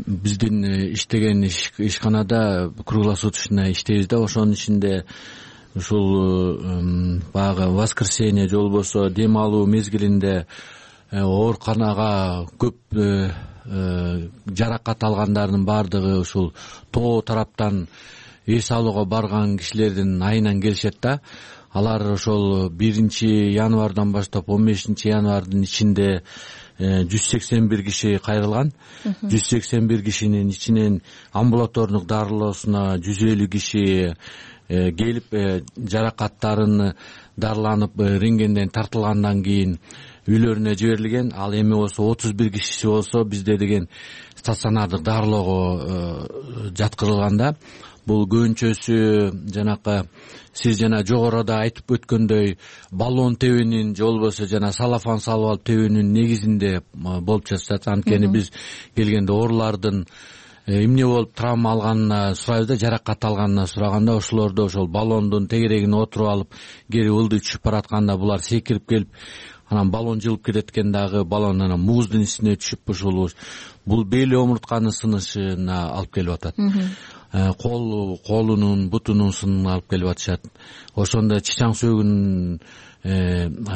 биздин иштеген ишканада круглосуточно иштейбиз да. Ошонун ичинде ушул баягы воскресенье же болбосо дем алуу мезгилинде ооруканага көп жаракат алгандардын баардыгы ушул тоо тараптан эс алууга барган кишилердин айынан келишет да. Алар ошол биринчи январдан баштап он бешинчи январдын ичинде жүз сексен бир киши кайрылган. жүз сексен бир кишинин ичинен амбулатордук дарылоосуна жүз элүү киши келип жаракаттарын дарыланып рентгенден тартылгандан кийин үйлөрүнө жиберилген. Ал эми болсо отуз бир кишиси болсо бизде деген стационардык дарылоого жаткырылганда. Бул көбүнчөсү жанакы сиз жана жогоруда айтып өткөндөй баллон тебүүнүн же болбосо жана салафан салып алып тебүүнүн негизинде болуп жатат. Анткени биз келгенде оорулардын эмне болуп травма алганына сурайбыз да, жаракат алганына сураганда ошолордо ошол баллондун тегерегине отуруп алып кери ылдый түшүп баратканда булар секирип келип анан баллон жылып кетет экен дагы, баллон анан мууздун үстүнө түшүп ушул бул бели омуртканын сынышына алып келип атат. Кол колунун бутунун сынына алып келип атышат. Ошондо чычаң сөөгүнүн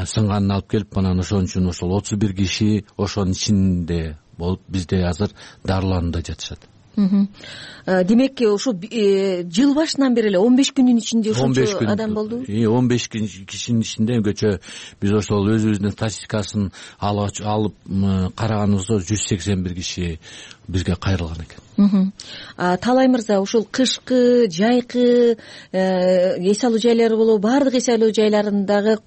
сынганын алып келип анан ошон үчүн ошол отуз бир киши ошонун ичинде болуп бизде азыр дарыланууда жатышат. Демек ушу жыл башынан бери эле он беш күндүн ичинде ошончо адам болду. он беш кишинин ичинде өзгөчө биз ошол өзүбүздүн статистикасын алып караганыбызда жүз сексен бир киши бизге кайрылган экен. Талай мырза, ушул кышкы, жайкы эс алуу жайлары болобу, баардык эс алуу жайларындагы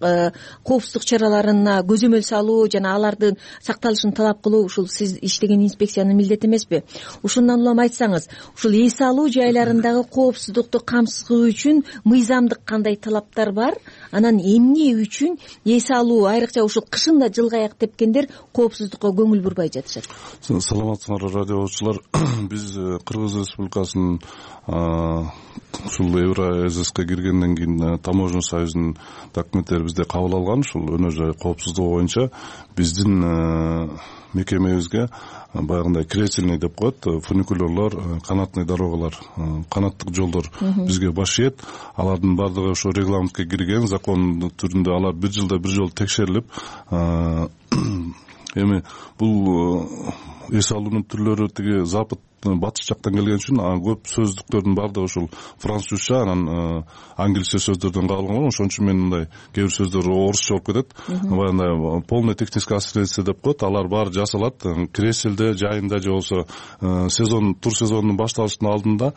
коопсуздук чараларына көзөмөл салуу жана алардын сакталышын талап кылуу ушул сиз иштеген инспекциянын милдети эмеспи? Ушундан улам айтсаңыз, ушул эс алуу жайларындагы коопсуздукту камсыздоо үчүн мыйзамдык кандай талаптар бар? Анан эмне үчүн эс алуу, айрыкча ушул кышында жылга аяк тепкендер коопсуздукка көңүл бурбай жатышат? Саламатсыңарбы радиочулар. Биз Кыргыз Республикасынын ушул Евразиска киргенден кийин таможня союзунун документтери бизде кабыл алган. Ушул өнөр жай коопсуздугу боюнча биздин мекемебизге баягындай кресельный деп коет, фуникулерлор, канатный дорогалар, канаттык жолдор бизге баш ийет. Алардын баардыгы ошо регламентке кирген, закон түрүндө алар бир жылда бир жолу текшерилип, эми бул эс алуунун түрлөрү тиги запад батыш жактан келген үчүн көп сөздүктөрдүн баардыгы ушул французча, анан англисче сөздөрдөн кабылган. Ошон үчүн мен мындай кээ бир сөздөр орусча болуп кетет. Баягындай полный техническая ассистенция деп коет. Алар баары жасалат креселде, жайында же болбосо сезон, тур сезонунун башталышынын алдында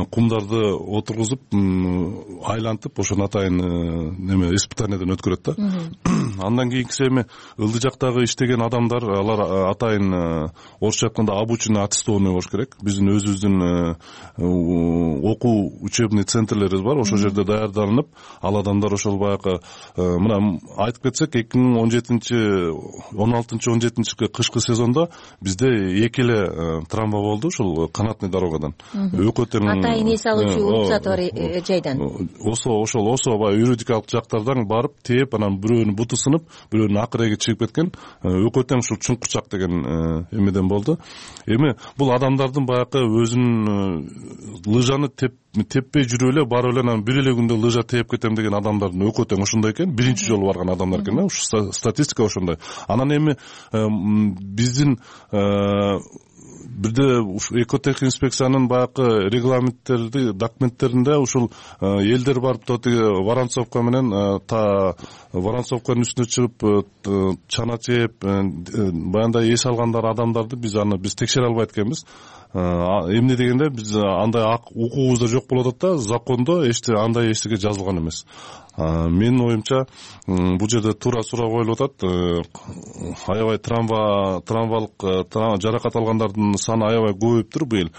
кумдарды отургузуп, айлантып, ошону атайын неме испытанияден өткөрөт да. Андан кийинкиси эми ылдый жактагы иштеген адамдар, алар атайын орусча айтканда обученный аттестованный болуш керек. Биздин өзүбүздүн окуу учебный центрлерибиз бар. Ошол жерде даярданып, ал адамдар ошол баягы мына айтып кетсек, эки миң он жетинчи он алтынчы он жетинчи кышкы сезондо бизде эки эле травма болду ушул канатный дорогадан. Өкө тең атайын эс алуучу уруксаты бар жайдан. Осо ошол осо баягы юридикалык жактардан барып тээп, анан бирөөнүн буту сынып, бирөөнүн акыреги чыгып кеткен. Өкө тең ушул чуңкурчак деген эмеден болду. Эми бул адамдардын баягы өзүнүн лыжаны теппей жүрүп эле барып эле анан бир эле күндө лыжа тээп кетем деген адамдардын өкө тең ошондой экен. Биринчи жолу барган адамдар экен. Ушу статистика ошондой. Анан эми биздин бирде экотех инспекциянын баягы регламенттерди, документтеринде ушул элдер барып тотиги Воронцовка менен та Воронцовканын үстүнө чыгып чана чээп баягындай эс алгандар адамдарды биз аны биз текшере албайт экенбиз. эмне дегенде биз андай укугубузда жок болуп атат да, закондо эчте андай эчтеке жазылган эмес. Менин оюмча бул жерде туура суроо коюлуп атат. Аябай травма травмалык жаракат алгандардын саны аябай көбөйүптүр быйыл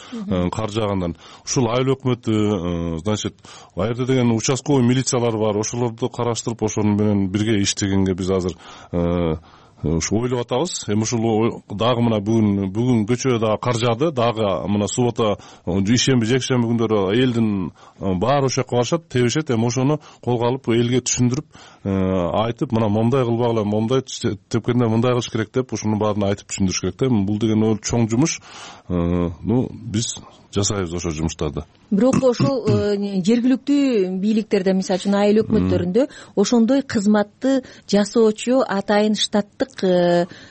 кар жаагандан. Ушул айыл өкмөтү, значит, ал жерде деген участковый милициялар бар, ошолорду караштырып ошону менен бирге иштегенге биз азыр ушу ойлоп атабыз. Эми ушул дагы мына бүгүн бүгүн көчө дагы кар жаады, дагы мына суббота, ишемби, жекшемби күндөрү элдин баары ошол жака барышат, тебишет. Эми ошону колго алып элге түшүндүрүп айтып, мына момундай кылбагыла, момундай тепкенде мындай кылыш керек деп ушунун баарын айтып түшүндүрүш керек да. Бул деген чоң жумуш. Ну, биз жасайбыз ошол жумуштарды. Бирок ошол жергиликтүү бийликтерде, мисалы үчүн айыл өкмөттөрүндө ошондой кызматты жасоочу атайын штаттык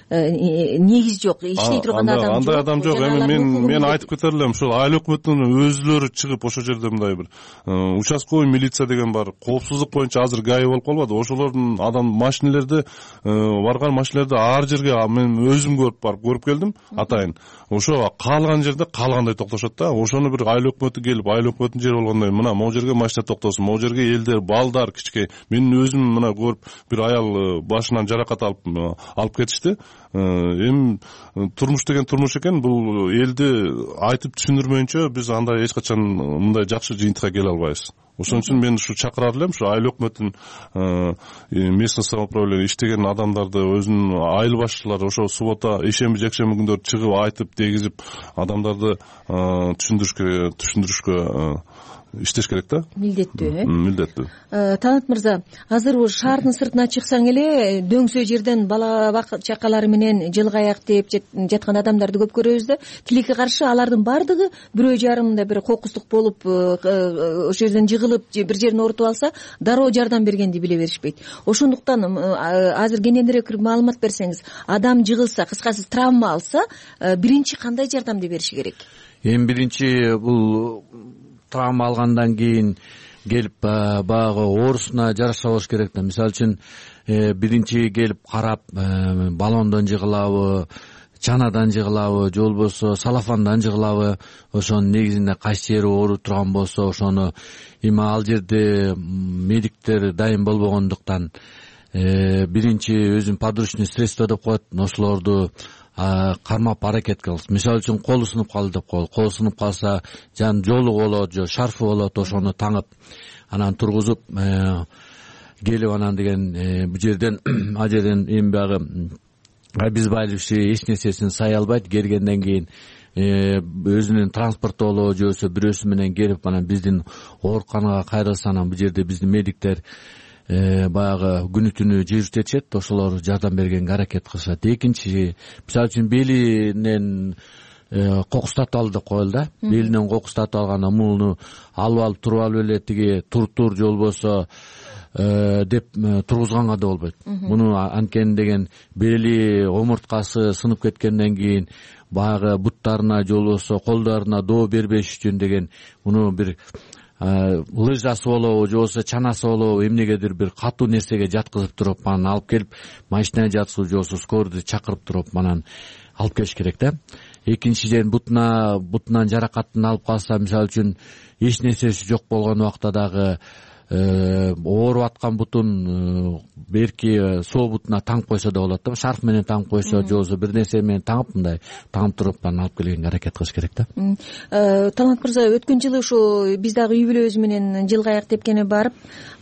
негиз жок, иштей турган адам жок. Андай адам жок. Эми мен мен айтып кетер элем, ошол айыл өкмөтүнүн өзүлөрү чыгып ошол жерде мындай бир участковый милиция деген бар. Коопсуздук боюнча азыр ГАИ болуп калбады. Ошолордун адам машинелерди барган машинелерди ар жерге мен өзүм көрүп барып көрүп келдим атайын. Ошо каалган жерде каалгандай токтошот да. Ошону бир айыл өкмөтү келип, айыл өкмөтүнүн жери болгондой, мына могу жерге машина токтосун, могу жерге элдер, балдар, кичке. Мен өзүм мына көрүп, бир аял башынан жаракат алып алып кетишти. Эми турмуш деген турмуш экен. Бул элди айтып түшүндүрмөйүнчө биз андай эч качан мындай жакшы жыйынтыкка келе албайбыз. Ошон үчүн мен ушу чакырар элем, ушу айыл өкмөтүн местный самоуправление иштеген адамдарды, өзүнүн айыл башчылары ошо суббота, ишемби, жекшемби күндөрү чыгып айтып, дегизип адамдарды түшүндүрүшкө түшүндүрүшкө иштеш керек да. Милдеттүү, э? Милдеттүү. Талант мырза, азыр шаардын сыртына чыксаң эле дөңсө жерден бала чакалары менен жылгаяк деп жаткан адамдарды көп көрөбүз да. Тилекке каршы алардын баардыгы бирөө жарымда бир кокустук болуп ошол жерден жыгылып бир жерин оорутуп алса, дароо жардам бергенди биле беришпейт. Ошондуктан азыр кененирээк маалымат берсеңиз, адам жыгылса, кыскасы травма алса, биринчи кандай жардамды бериши керек? Эми биринчи бул травма алгандан кийин келип баягы оорусуна жараша болуш керек да. Мисалы үчүн биринчи келип карап, баллондон жыгылабы, чанадан жыгылабы, же болбосо салафандан жыгылабы, ошонун негизинде кайсы жери ооруп турган болсо ошону эми ал жерде медиктер дайым болбогондуктан биринчи өзүн подручный средство деп коет, ошолорду кармап аракет кылабыз. Мисалы үчүн колу сынып калды деп коелу. Колу сынып калса, жан жолу болот, же шарфы болот, ошону таңып, анан тургузуп келип анан деген бул жерден ал жерден эми баягы обезболивающий эч нерсесин сай албайт. Келгенден кийин өзүнүн транспорту болобу, же болбосо бирөөсү менен келип анан биздин ооруканага кайрылса, анан бул жерде биздин медиктер баягы күнү түнү жүрүтүшөт, ошолор жардам бергенге аракет кылышат. Экинчи, мисалы үчүн белинен кокустатып алды деп коелу да. Белинен кокустатып алганда муну алып алып туруп алып эле тиги тур-тур же болбосо деп тургузганга да болбойт. Муну анткени деген бели омурткасы сынып кеткенден кийин баягы буттарына же болбосо колдоруна доо бербеш үчүн деген муну бир лыжасы болобу, же болбосо чанасы болобу, эмнегедир бир катуу нерсеге жаткызып туруп анан алып келип машинага жаткызып, же болбосо скорыйду чакырып туруп анан алып келиш керек да. Экинчиден бутуна бутунан жаракатын алып калса, мисалы үчүн эч нерсеси жок болгон убакта дагы ооруп аткан бутун берки сол бутуна таңып койсо да болот да. Шарф менен таңып койсо, же болбосо бир нерсе менен таңып мындай таңып туруп анан алып келгенге аракет кылыш керек да. Талант мырза, өткөн жылы ушу биз дагы үй бүлөбүз менен жылгаяк тепкене барып,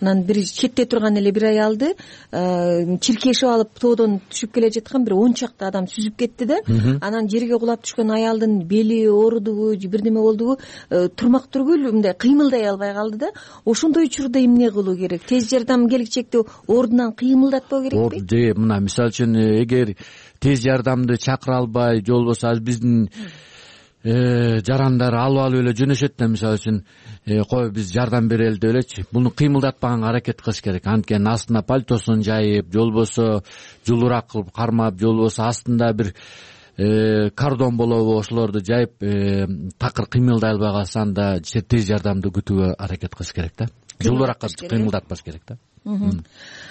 анан бир четте турган эле бир аялды чиркешип алып тоодон түшүп келе жаткан бир он чакты адам сүзүп кетти да. Анан жерге кулап түшкөн аялдын бели оорудубу, бир неме болдубу, турмак түргүл мындай кыймылдай албай калды да. Ошондой учурда эмне кылуу керек? Тез жардам келечекте ордунан кыймылдатпоо керекпи? Же мына мисалы үчүн эгер тез жардамды чакыра албай, же болбосо биздин жарандар алып алып эле жөнөшөт да, мисалы үчүн кой биз жардам берели деп элечи, буну кыймылдатпаганга аракет кылыш керек. Анткени астына пальтосун жайып, же болбосо жулураак кылып кармап, же болбосо астында бир кардон болобу, ошолорду жайып такыр кыймылдай албай калса, анда тез жардамды күтүүгө аракет кылыш керек да. Жулураак кыймылдатпаш керек да.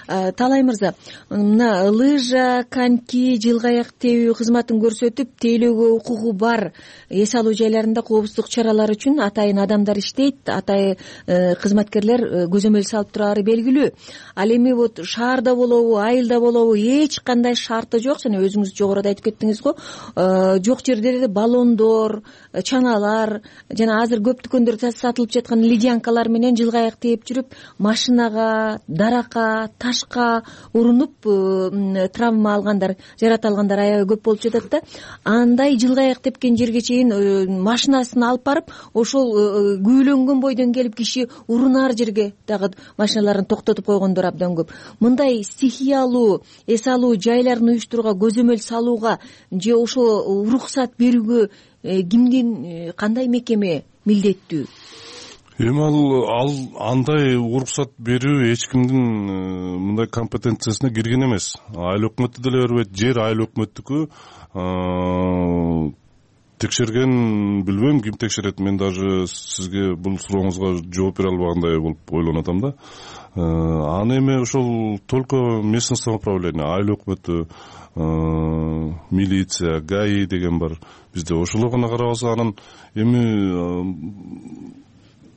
Таалай мырза, мына лыжа, коньки, жылгы аяк тебүү кызматын көрсөтүп тейлөөгө укугу бар эс алуу жайларында коопсуздук чаралары үчүн атайын адамдар иштейт, атайын кызматкерлер көзөмөл салып турары белгилүү. Ал эми вот шаарда болобу, айылда болобу эч кандай шарты жок. Жана өзүңүз жогоруда айтып кеттиңиз го, жок жерлерде баллондор, чаналар жана азыр көп дүкөндөрдө сатылып жаткан ледянкалар менен жылгы аяк тээп жүрүп, машинага, даракка, ташка урунуп травма алгандар, жарат алгандар аябай көп болуп жатат да. Андай жылгы аяк тепкен жерге чейин машинасын алып барып, ошол күүлөнгөн бойдон келип киши урунар жерге дагы машиналарын токтотуп койгондор абдан көп. Мындай стихиялуу эс алуу жайларын уюштурууга, көзөмөл салууга же ошо уруксат берүүгө кимдин, кандай мекеме милдеттүү? Эми ал ал андай уруксат берүү эч кимдин мындай компетенциясына кирген эмес. Айыл өкмөтү деле бербейт, жер айыл өкмөттүкү. Текшерген билбейм, ким текшерет. Мен даже сизге бул сурооңузга жооп бере албагандай болуп ойлонуп атам да. Аны эми ошол только местное самоуправление, айыл өкмөтү, милиция, ГАИ деген бар бизде. Ошолор гана карабаса, анан эми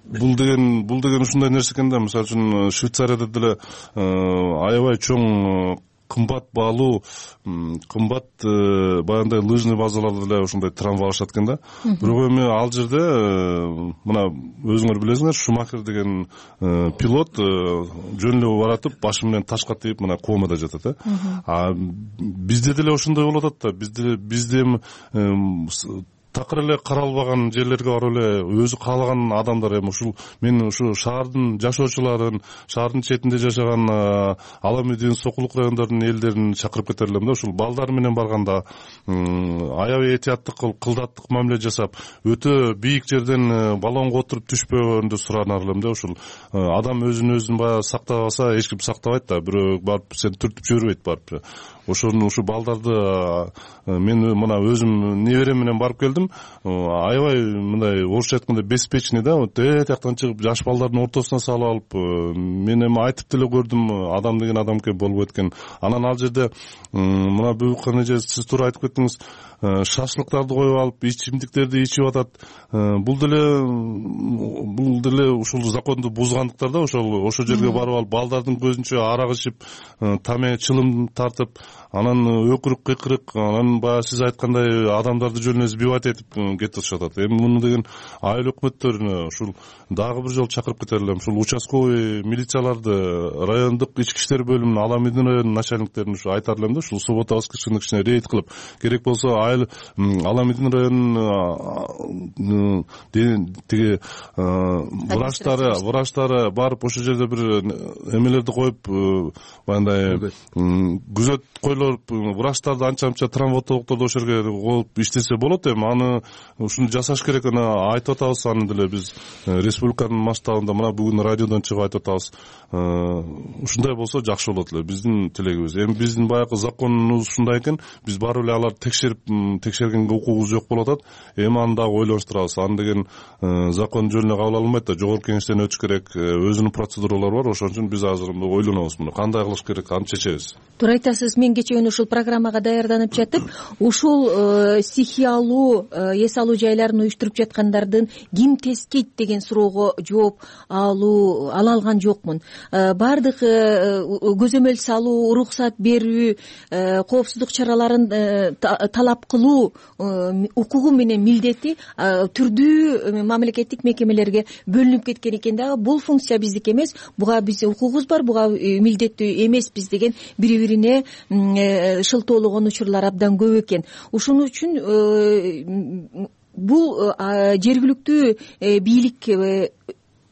бул деген бул деген ушундай нерсе экен да. Мисалы үчүн Швейцарияда деле аябай чоң кымбат баалуу, кымбат баягындай лыжный базаларда деле ушундай трамвалашат экен да. Бирок эми ал жерде мына өзүңөр билесиңер, Шумахер деген пилот жөн эле баратып, башы менен ташка тийип, мына комада жатат э. А бизде деле ошондой болуп атат да. Бизде бизде такыр эле каралбаган жерлерге барып эле өзү каалаган адамдар, эми ушул мен ушу шаардын жашоочуларын, шаардын четинде жашаган ала медиен сокулук райондордун элдерин чакырып кетер элем да. Ушул балдар менен барганда аябай этияттык кылып, кылдаттык мамиле жасап, өтө бийик жерден баллонго отуруп түшпөгөндү суранар элем да. Ушул адам өзүн өзүн баягы сактабаса эч ким сактабайт да. Бирөө барып сени түртүп жибербейт барып. Ошону ушу балдарды мен мына өзүм неберем менен барып келдим. Аябай мындай орусча айтканда беспечный да. Вот эт жактан чыгып жаш балдардын ортосуна салып алып, мен эми айтып деле көрдүм, адам деген адам экен, болбойт экен. Анан ал жерде мына буюкка эже сиз туура айтып кеттиңиз, шашлыктарды коюп алып, ичимдиктерди ичип атат. Бул деле бул деле ушул законду бузгандыктар да. Ошол ошол жерге барып алып, балдардын көзүнчө арак ичип, таме чылым тартып, анан өкүрүк кыйкырык, анан баягы сиз айткандай адамдарды жөн эле сбивать этип кетип атат. Эми муну деген айыл өкмөттөрүнө ушул дагы бир жолу чакырып кетер элем. Ушул участковый милицияларды, райондук ички иштер бөлүмүнүн, ала медин районунун начальниктерин ушу айтар элем да. Ушул суббота воскресенье кичине рейд кылып, керек болсо айыл ала медин районунун тиги врачтары, врачтары барып ошол жерде бир эмелерди коюп, баягындай күзөт койлоруп, врачтарды анча-мынча травматологдорду ошол жерге коюп иштесе болот. Эми аны ушуну жасаш керек. Аны айтып атабыз, аны деле биз республиканын масштабында мына бүгүн радиодон чыгып айтып атабыз. Ушундай болсо жакшы болот эле, биздин тилегибиз. Эми биздин баягы законубуз ушундай экен, биз барып эле аларды текшерип текшергенге укугубуз жок болуп атат. Эми аны дагы ойлонуштурабыз. Аны деген закон жөн эле кабыл алынбайт да, жогорку кеңештен өтүш керек, өзүнүн процедуралары бар. Ошон үчүн биз азыр ойлонобуз, муну кандай кылыш керек, аны чечебиз. Туура айтасыз. Мен кечээ ушул программага даярданып жатып, ушул стихиялуу эс алуу жайларын уюштуруп жаткандардын ким тескейт деген суроого жооп алуу ала алган жокмун. Бардык көзөмөл салуу, уруксат берүү, коопсуздук чараларын талап кылуу укугу менен милдети түрдүү мамлекеттик мекемелерге бөлүнүп кеткен экен дагы. Бул функция биздики эмес, буга биздин укугубуз бар, буга милдеттүү эмеспиз деген бири-бирине шылтоологон учурлар абдан көп экен. Ушун үчүн бул жергиликтүү бийлик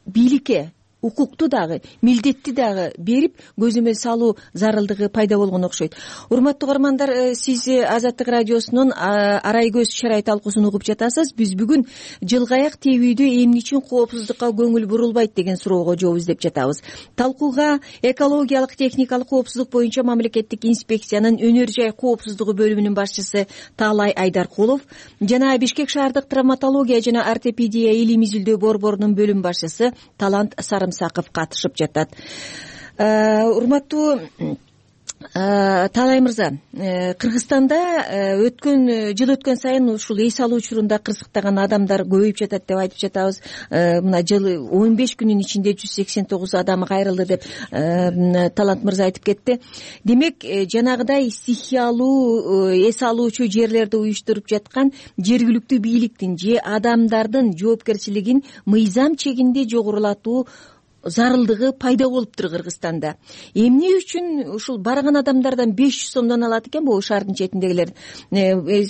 бийликке укукту дагы, милдетти дагы берип көзөмөл салуу зарылдыгы пайда болгон окшойт. Урматтуу угармандар, сиз Азаттык радиосунун Арай көз чарай талкуусун угуп жатасыз. Биз бүгүн жылгы аяк тебүүдө эмне үчүн коопсуздукка көңүл бурулбайт деген суроого жооп издеп жатабыз. Талкууга экологиялык техникалык коопсуздук боюнча мамлекеттик инспекциянын өнөр жай коопсуздугу бөлүмүнүн башчысы Таалай Айдаркулов жана Бишкек шаардык травматология жана ортопедия илим изилдөө борборунун бөлүм башчысы Талант Сарымсаков катышып жатат. урматтуу Таалай мырза, Кыргызстанда өткөн жыл өткөн сайын ушул эс алуу учурунда кырсыктаган адамдар көбөйүп жатат деп айтып жатабыз. Мына жыл он беш күнүн ичинде жүз сексен тогуз адам кайрылды деп Талант мырза айтып кетти. Демек, жанагыдай стихиялуу эс алуучу жерлерди уюштуруп жаткан жергиликтүү бийликтин же адамдардын жоопкерчилигин мыйзам чегинде жогорулатуу зарылдыгы пайда болуптур Кыргызстанда. Эмне үчүн ушул барган адамдардан беш жүз сомдон алат экен бул шаардын четиндегилер?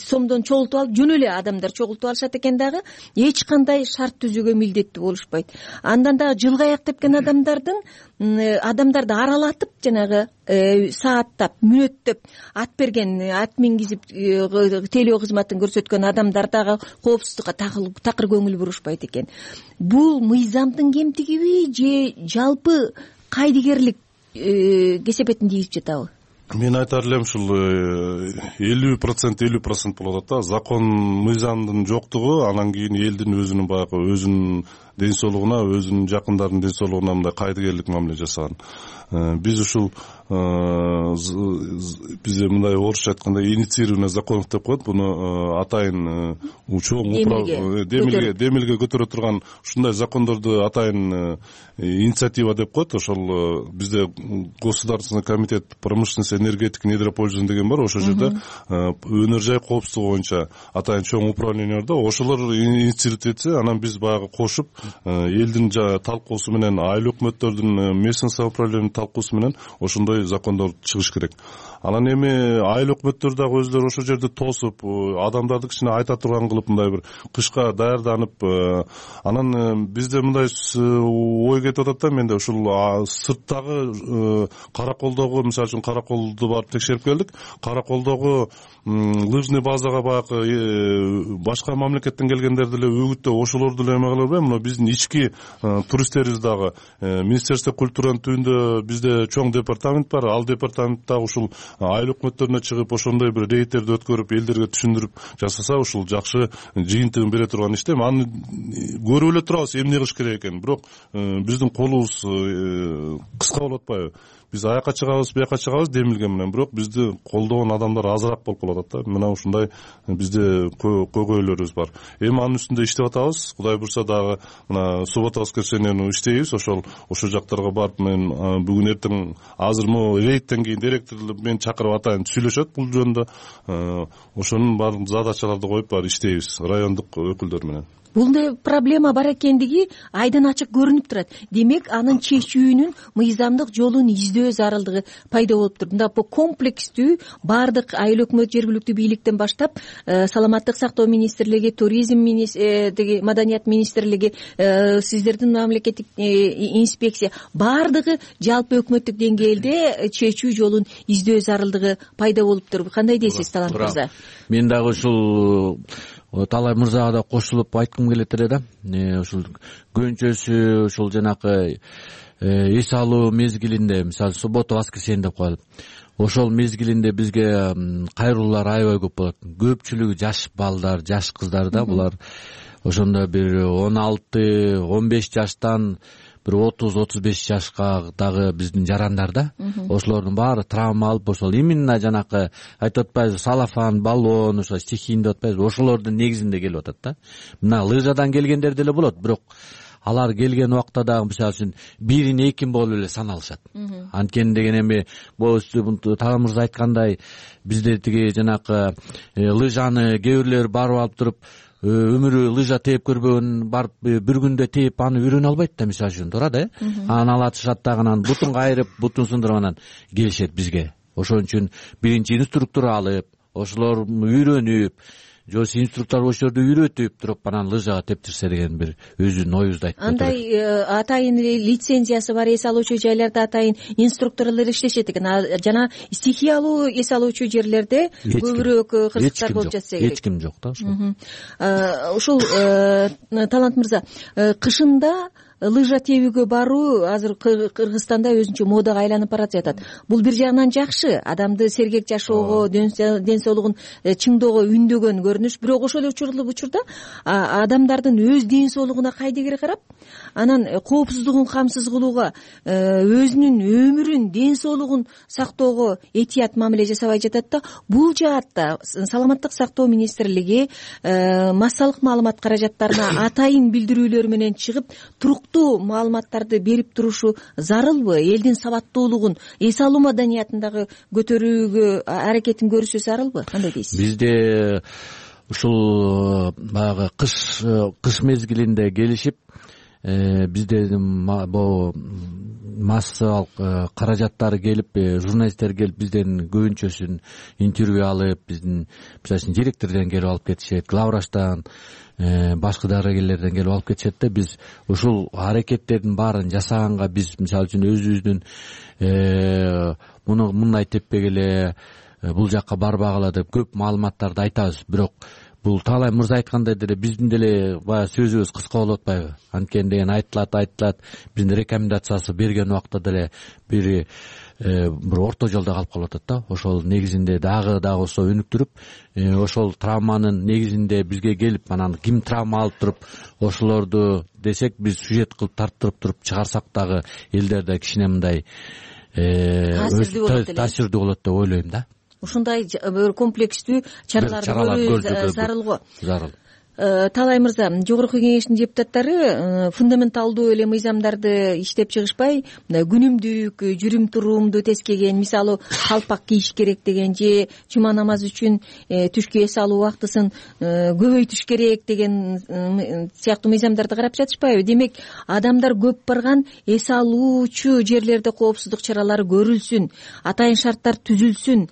Сомдон чогултуп алып, жөн эле адамдар чогултуп алышат экен дагы, эч кандай шарт түзүүгө милдеттүү болушпайт. Андан дагы жылга аяктап келген адамдардын адамдарды аралатып, жанагы сааттап, мүнөттөп ат берген, ат мингизип тейлөө кызматын көрсөткөн адамдар дагы коопсуздукка такыр көңүл бурушпайт экен. Бул мыйзамдын кемтигиби же жалпы кайдыгерлик кесепетин тийгизип жатабы? Мен айтар элем ушул элүү процент элүү процент болуп атат да. Закон, мыйзамдын жоктугу, анан кийин элдин өзүнүн баягы өзүнүн ден соолугуна, өзүнүн жакындарынын ден соолугуна мындай кайдыгерлик мамиле жасаган. Биз ушул бизде мындай орусча айтканда инициированный законов деп коет. Буну атайын чоң демилге демилге көтөрө турган ушундай закондорду атайын инициатива деп коет. Ошол бизде Государственный комитет промышленности, энергетики, недропользования деген бар. Ошол жерде өнөр жай коопсуздугу боюнча атайын чоң управление бар да. Ошолор инициировать этсе, анан биз баягы кошуп элдин талкуусу менен, айыл өкмөттөрдүн местный самоуправлениянын талкуусу менен ошондой закондор чыгыш керек. Анан эми айыл өкмөттөр дагы өзлөрү ошол жерде тосуп, адамдарды кичине айта турган кылып, мындай бир кышка даярданып, анан бизде мындай ой кетип атат да, менде ушул сырттагы Караколдогу, мисалы үчүн Караколду барып текшерип келдик. Караколдогу лыжный базага баягы башка мамлекеттен келгендерди эле үгүттөп, ошолорду эле эме кылып, мына биздин ички туристтерибиз дагы Министерство культуранын түбүндө бизде чоң департамент бар. Ал департамент дагы ушул айыл өкмөттөрүнө чыгып, ошондой бир рейдтерди өткөрүп, элдерге түшүндүрүп жасаса, ушул жакшы жыйынтыгын бере турган иште. Аны көрүп эле турабыз эмне кылыш керек экенин. Бирок биздин колубуз кыска болуп атпайбы? Биз аяка чыгабыз, бияка чыгабыз демилге менен, бирок бизди колдогон адамдар азыраак болуп калат да. Мына ушундай бизде көйгөйлөрүбүз бар. Эми анын үстүндө иштеп атабыз. Кудай бурса дагы мына суббота воскресеньени иштейбиз. Ошол ошол жактарга барып, мен бүгүн эртең азыр могу рейдтен кийин директорлор мени чакырып атайын сүйлөшөт бул жөнүндө. Ошонун баардык задачаларды коюп бар иштейбиз райондук өкүлдөр менен. Бул проблема бар экендиги айдан ачык көрүнүп турат. Демек, анын чечүүнүн мыйзамдык жолун издөө зарылдыгы пайда болуптур. Мында по комплекстүү баардык айыл өкмөт, жергиликтүү бийликтен баштап, саламаттык сактоо министрлиги, туризм министрлиги, маданият министрлиги, сиздердин мамлекеттик инспекция, баардыгы жалпы өкмөттүк деңгээлде чечүү жолун издөө зарылдыгы пайда болуптур. Кандай дейсиз, Талант мырза? Мен дагы ушул Талай мырзага да кошулуп айткым келет эле да. Ушул көнчөсү, ушул жанакы эс алуу мезгилинде, мисалы суббота, воскресенье деп коелу. Ошол мезгилинде бизге кайрылуулар аябай көп болот. Көпчүлүгү жаш балдар, жаш кыздар да, булар ошондо бир он алты, он беш жаштан бир отуз, отуз беш жашка дагы биздин жарандар да. Ошолордун баары травма алып, ошол именно жанакы айтып атпайбызбы, салафан, баллон, ошо стихийный деп атпайбызбы, ошолордун негизинде келип атат да. Мына лыжадан келгендер деле болот, бирок алар келген убакта дагы мисалы үчүн бирин экин болуп эле саналышат. Анткени деген эми бул Талант мырза айткандай, бизде тиги жанакы лыжаны кээ бирлер барып алып туруп өмүрү лыжа тээп көрбөгөн, барып бир күндө тээп аны үйрөнө албайт да, мисалы үчүн туура да. Анан алатышат дагы, анан бутун кайрып, бутун сындырып анан келишет бизге. Ошон үчүн биринчи инструктор алып, ошолор үйрөнүп, же инструктор ошол жерде үйрөтүп туруп анан лыжага тептирсе деген бир өзүнүн оюбузду айтып кетет. Андай атайын лицензиясы бар эс алуучу жайларда атайын инструкторлор иштешет экен. Жана стихиялуу эс алуучу жерлерде көбүрөөк кырсыктар болуп жатса керек. Эч ким жок да ошол. Ушул Талант мырза, кышында лыжа тебүүгө баруу азыр Кыргызстанда өзүнчө модага айланып баратып жатат. Бул бир жагынан жакшы, адамды сергек жашоого, ден соолугун чыңдоого үндөгөн көрүнүш. Бирок ошол эле учурда адамдардын өз ден соолугуна кайдыгер карап, анан коопсуздугун камсыз кылууга, өзүнүн өмүрүн, ден соолугун сактоого этият мамиле жасабай жатат да. Бул жаатта саламаттык сактоо министрлиги массалык маалымат каражаттарына атайын билдирүүлөр менен чыгып, туруктуу маалыматтарды берип турушу зарылбы? Элдин сабаттуулугун, эс алуу маданиятын дагы көтөрүүгө аракетин көрүшү зарылбы? Кандай дейсиз? Бизде ушул баягы кыш кыш мезгилинде келишип, бизде могу массалык каражаттары келип, журналисттер келип бизден көбүнчөсүн интервью алып, биздин мисалы үчүн директордон келип алып кетишет, главврачтан, башка дарыгерлерден келип алып кетишет да. Биз ушул аракеттердин баарын жасаганга биз мисалы үчүн өзүбүздүн муну мындай теппегиле, бул жакка барбагыла деп көп маалыматтарды айтабыз. Бирок бул Таалай мырза айткандай деле биздин деле баягы сөзүбүз кыска болуп атпайбы? Анткени деген айтылат, айтылат. Биздин рекомендациясы берген убакта деле бир бир орто жолдо калып калып атат да. Ошол негизинде дагы дагы болсо өнүктүрүп, ошол травманын негизинде бизге келип, анан ким травма алып туруп, ошолорду десек биз сюжет кылып тарттырып туруп чыгарсак дагы элдерде кичине мындай таасирдүү болот деп ойлойм да. Ушундай комплекстүү чараларды көрүү зарыл го. Зарыл. Таалай мырза, жогорку кеңештин депутаттары фундаменталдуу эле мыйзамдарды иштеп чыгышпай, мындай күнүмдүк, жүрүм туруумду тескеген, мисалы калпак кийиш керек деген же жума намазы үчүн түшкү эс алуу убактысын көбөйтүш керек деген сыяктуу мыйзамдарды карап жатышпайбы? Демек, адамдар көп барган эс алуучу жерлерде коопсуздук чаралары көрүлсүн, атайын шарттар түзүлсүн,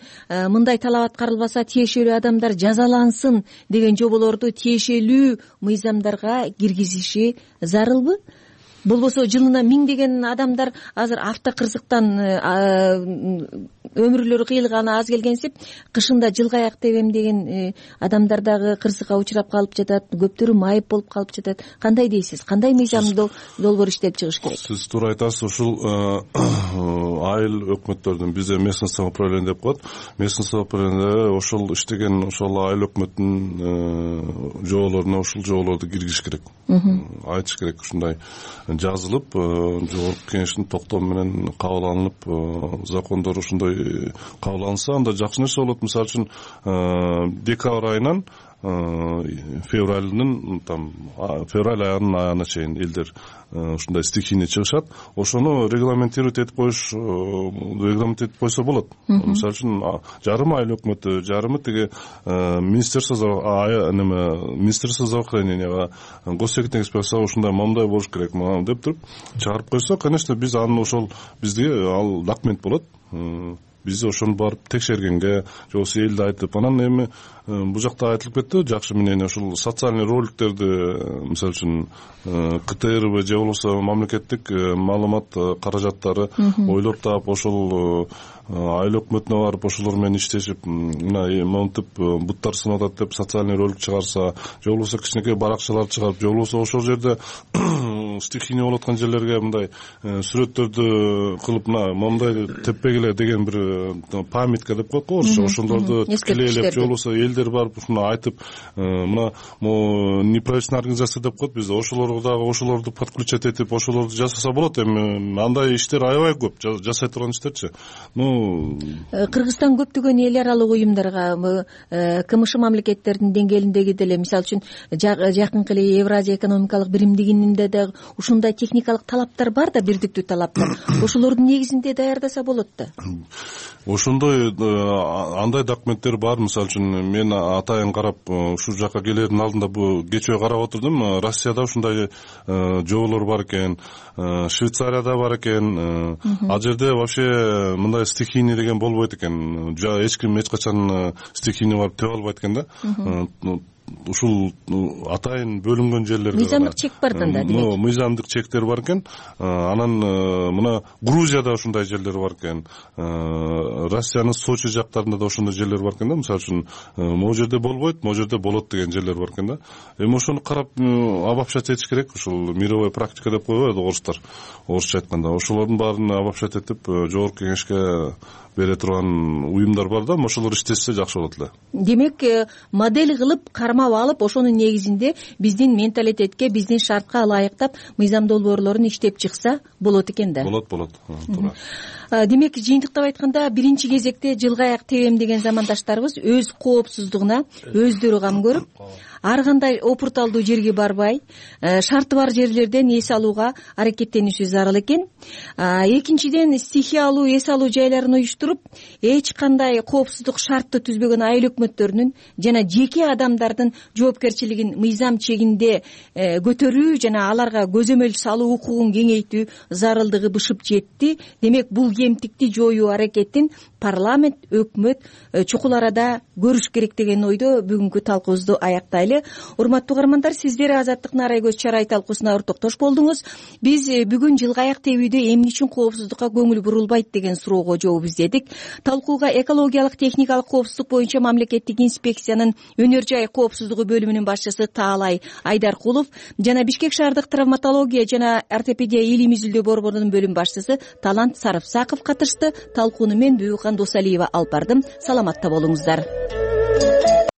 мындай талап аткарылбаса тиешелүү адамдар жазалансын деген жоболорду тиешелүү мыйзамдарга киргизиши зарылбы? Болбосо жылына миңдеген адамдар азыр автокырсыктан өмүрлөрү кыйылганы аз келгенсип, кышында жылгаяк тебем деген адамдар дагы кырсыкка учурап калып жатат, көптөрү майып болуп калып жатат. Кандай дейсиз? Кандай мыйзамды долбоор иштеп чыгыш керек? Сиз туура айтасыз. Ушул айыл өкмөттөрдүн бизде местное самоуправление деп коет. Местное самоуправление ошол иштеген ошол айыл өкмөттүн жоболоруна ушул жоболорду киргизиш керек. Айтыш керек, ушундай жазылып, жогорку кеңештин токтому менен кабыл алынып, закондор ушундай кабыл алынса, анда жакшы нерсе болот. Мисалы үчүн декабрь айынан февралдын там февраль айынын аягына чейин элдер ушундай стихийный чыгышат. Ошону регламентировать этип коюш, регламент этип койсо болот. Мисалы үчүн жарымы айыл өкмөтү, жарымы тиги министерство неме министерство здравоохраненияга, госсекретарь инспекцияга ушундай мындай болуш керек деп туруп чыгарып койсо, конечно, биз аны ошол бизге ал документ болот. Биз ошону барып текшергенге, же болбосо элди айтып, анан эми бул жакта айтылып кетти, жакшы мнение, ушул социальный роликтерди, мисалы үчүн КТРБ же болбосо мамлекеттик маалымат каражаттары ойлоп таап, ошол айыл өкмөтүнө барып ошолор менен иштешип, мына монтип буттар сынып атат деп социальный ролик чыгарса, же болбосо кичинекей баракчалар чыгарып, же болбосо ошол жерде стихийный болуп аткан жерлерге мындай сүрөттөрдү кылып, мына мондай теппегиле деген бир памятка деп коет го орусча, ошолорду тикелейлеп, же болбосо элдер барып ушуну айтып, мына могу неправительственный организация деп коет бизде, ошолорго дагы ошолорду подключать этип, ошолорду жасаса болот. Эми андай иштер аябай көп, жасай турган иштерчи. Ну, Кыргызстан көптөгөн эл аралык уюмдарга, КМШ мамлекеттердин деңгээлиндеги деле, мисалы үчүн жакынкы эле Евразия экономикалык биримдигинде да ушундай техникалык талаптар бар да, бирдиктүү талаптар. Ошолордун негизинде даярдаса болот да. Ошондой андай документтер бар. Мисалы үчүн мен атайын карап, ушул жака келердин алдында бу кечээ карап отурдум. Россияда ушундай жоболор бар экен, Швейцарияда бар экен. Ал жерде вообще мындай стихийный деген болбойт экен. Эч ким эч качан стихийный барып тебе албайт экен да. ушул атайын бөлүнгөн жерлерге мыйзамдык чек бар да демек мыйзамдык чектер бар экен. Анан мына Грузияда ушундай жерлер бар экен, Россиянын Сочи жактарында да ошондой жерлер бар экен да. Мисалы үчүн могу жерде болбойт, могу жерде болот деген жерлер бар экен да. Эми ошону карап обобщать этиш керек. Ушул мировой практика деп коебуз орустар, орусча айтканда. Ошолордун баарын обобщать этип жогорку кеңешке бере турган уюмдар бар да, ошолор иштешсе жакшы болот эле. Демек модель кылып кармап алып, ошонун негизинде биздин менталитетке, биздин шартка ылайыктап мыйзам долбоорлорун иштеп чыкса болот экен да. Болот, болот. Туура. Демек жыйынтыктап айтканда биринчи кезекте жылга аяк тебем деген замандаштарыбыз өз коопсуздугуна өздөрү кам көрүп, ар кандай опурталдуу жерге барбай, шарты бар жерлерден эс алууга аракеттениши зарыл экен. Экинчиден, стихиялуу эс алуу жайларын уюштуруп, эч кандай коопсуздук шартты түзбөгөн айыл өкмөттөрүнүн жана жеке адамдардын жоопкерчилигин мыйзам чегинде көтөрүү жана аларга көзөмөл салуу укугун кеңейтүү зарылдыгы бышып жетти. Демек бул кемтикти жоюу аракетин парламент, өкмөт чукул арада көрүш керек деген ойдо бүгүнкү талкуубузду аяктайлы. Урматтуу угармандар, сиздер Азаттык Нарай көз чарай талкуусуна ортоктош болдуңуз. Биз бүгүн жылга аяк тебүүдө эмне үчүн коопсуздукка көңүл бурулбайт деген суроого жооп издедик. Талкууга экологиялык техникалык коопсуздук боюнча мамлекеттик инспекциянын өнөр жай коопсуздугу бөлүмүнүн башчысы Таалай Айдаркулов жана Бишкек шаардык травматология жана ортопедия илим изилдөө борборунун бөлүм башчысы Талант Сарыпсаков катышты. Талкууну мен Бүкан Досалиева алып бардым. Саламатта болуңуздар.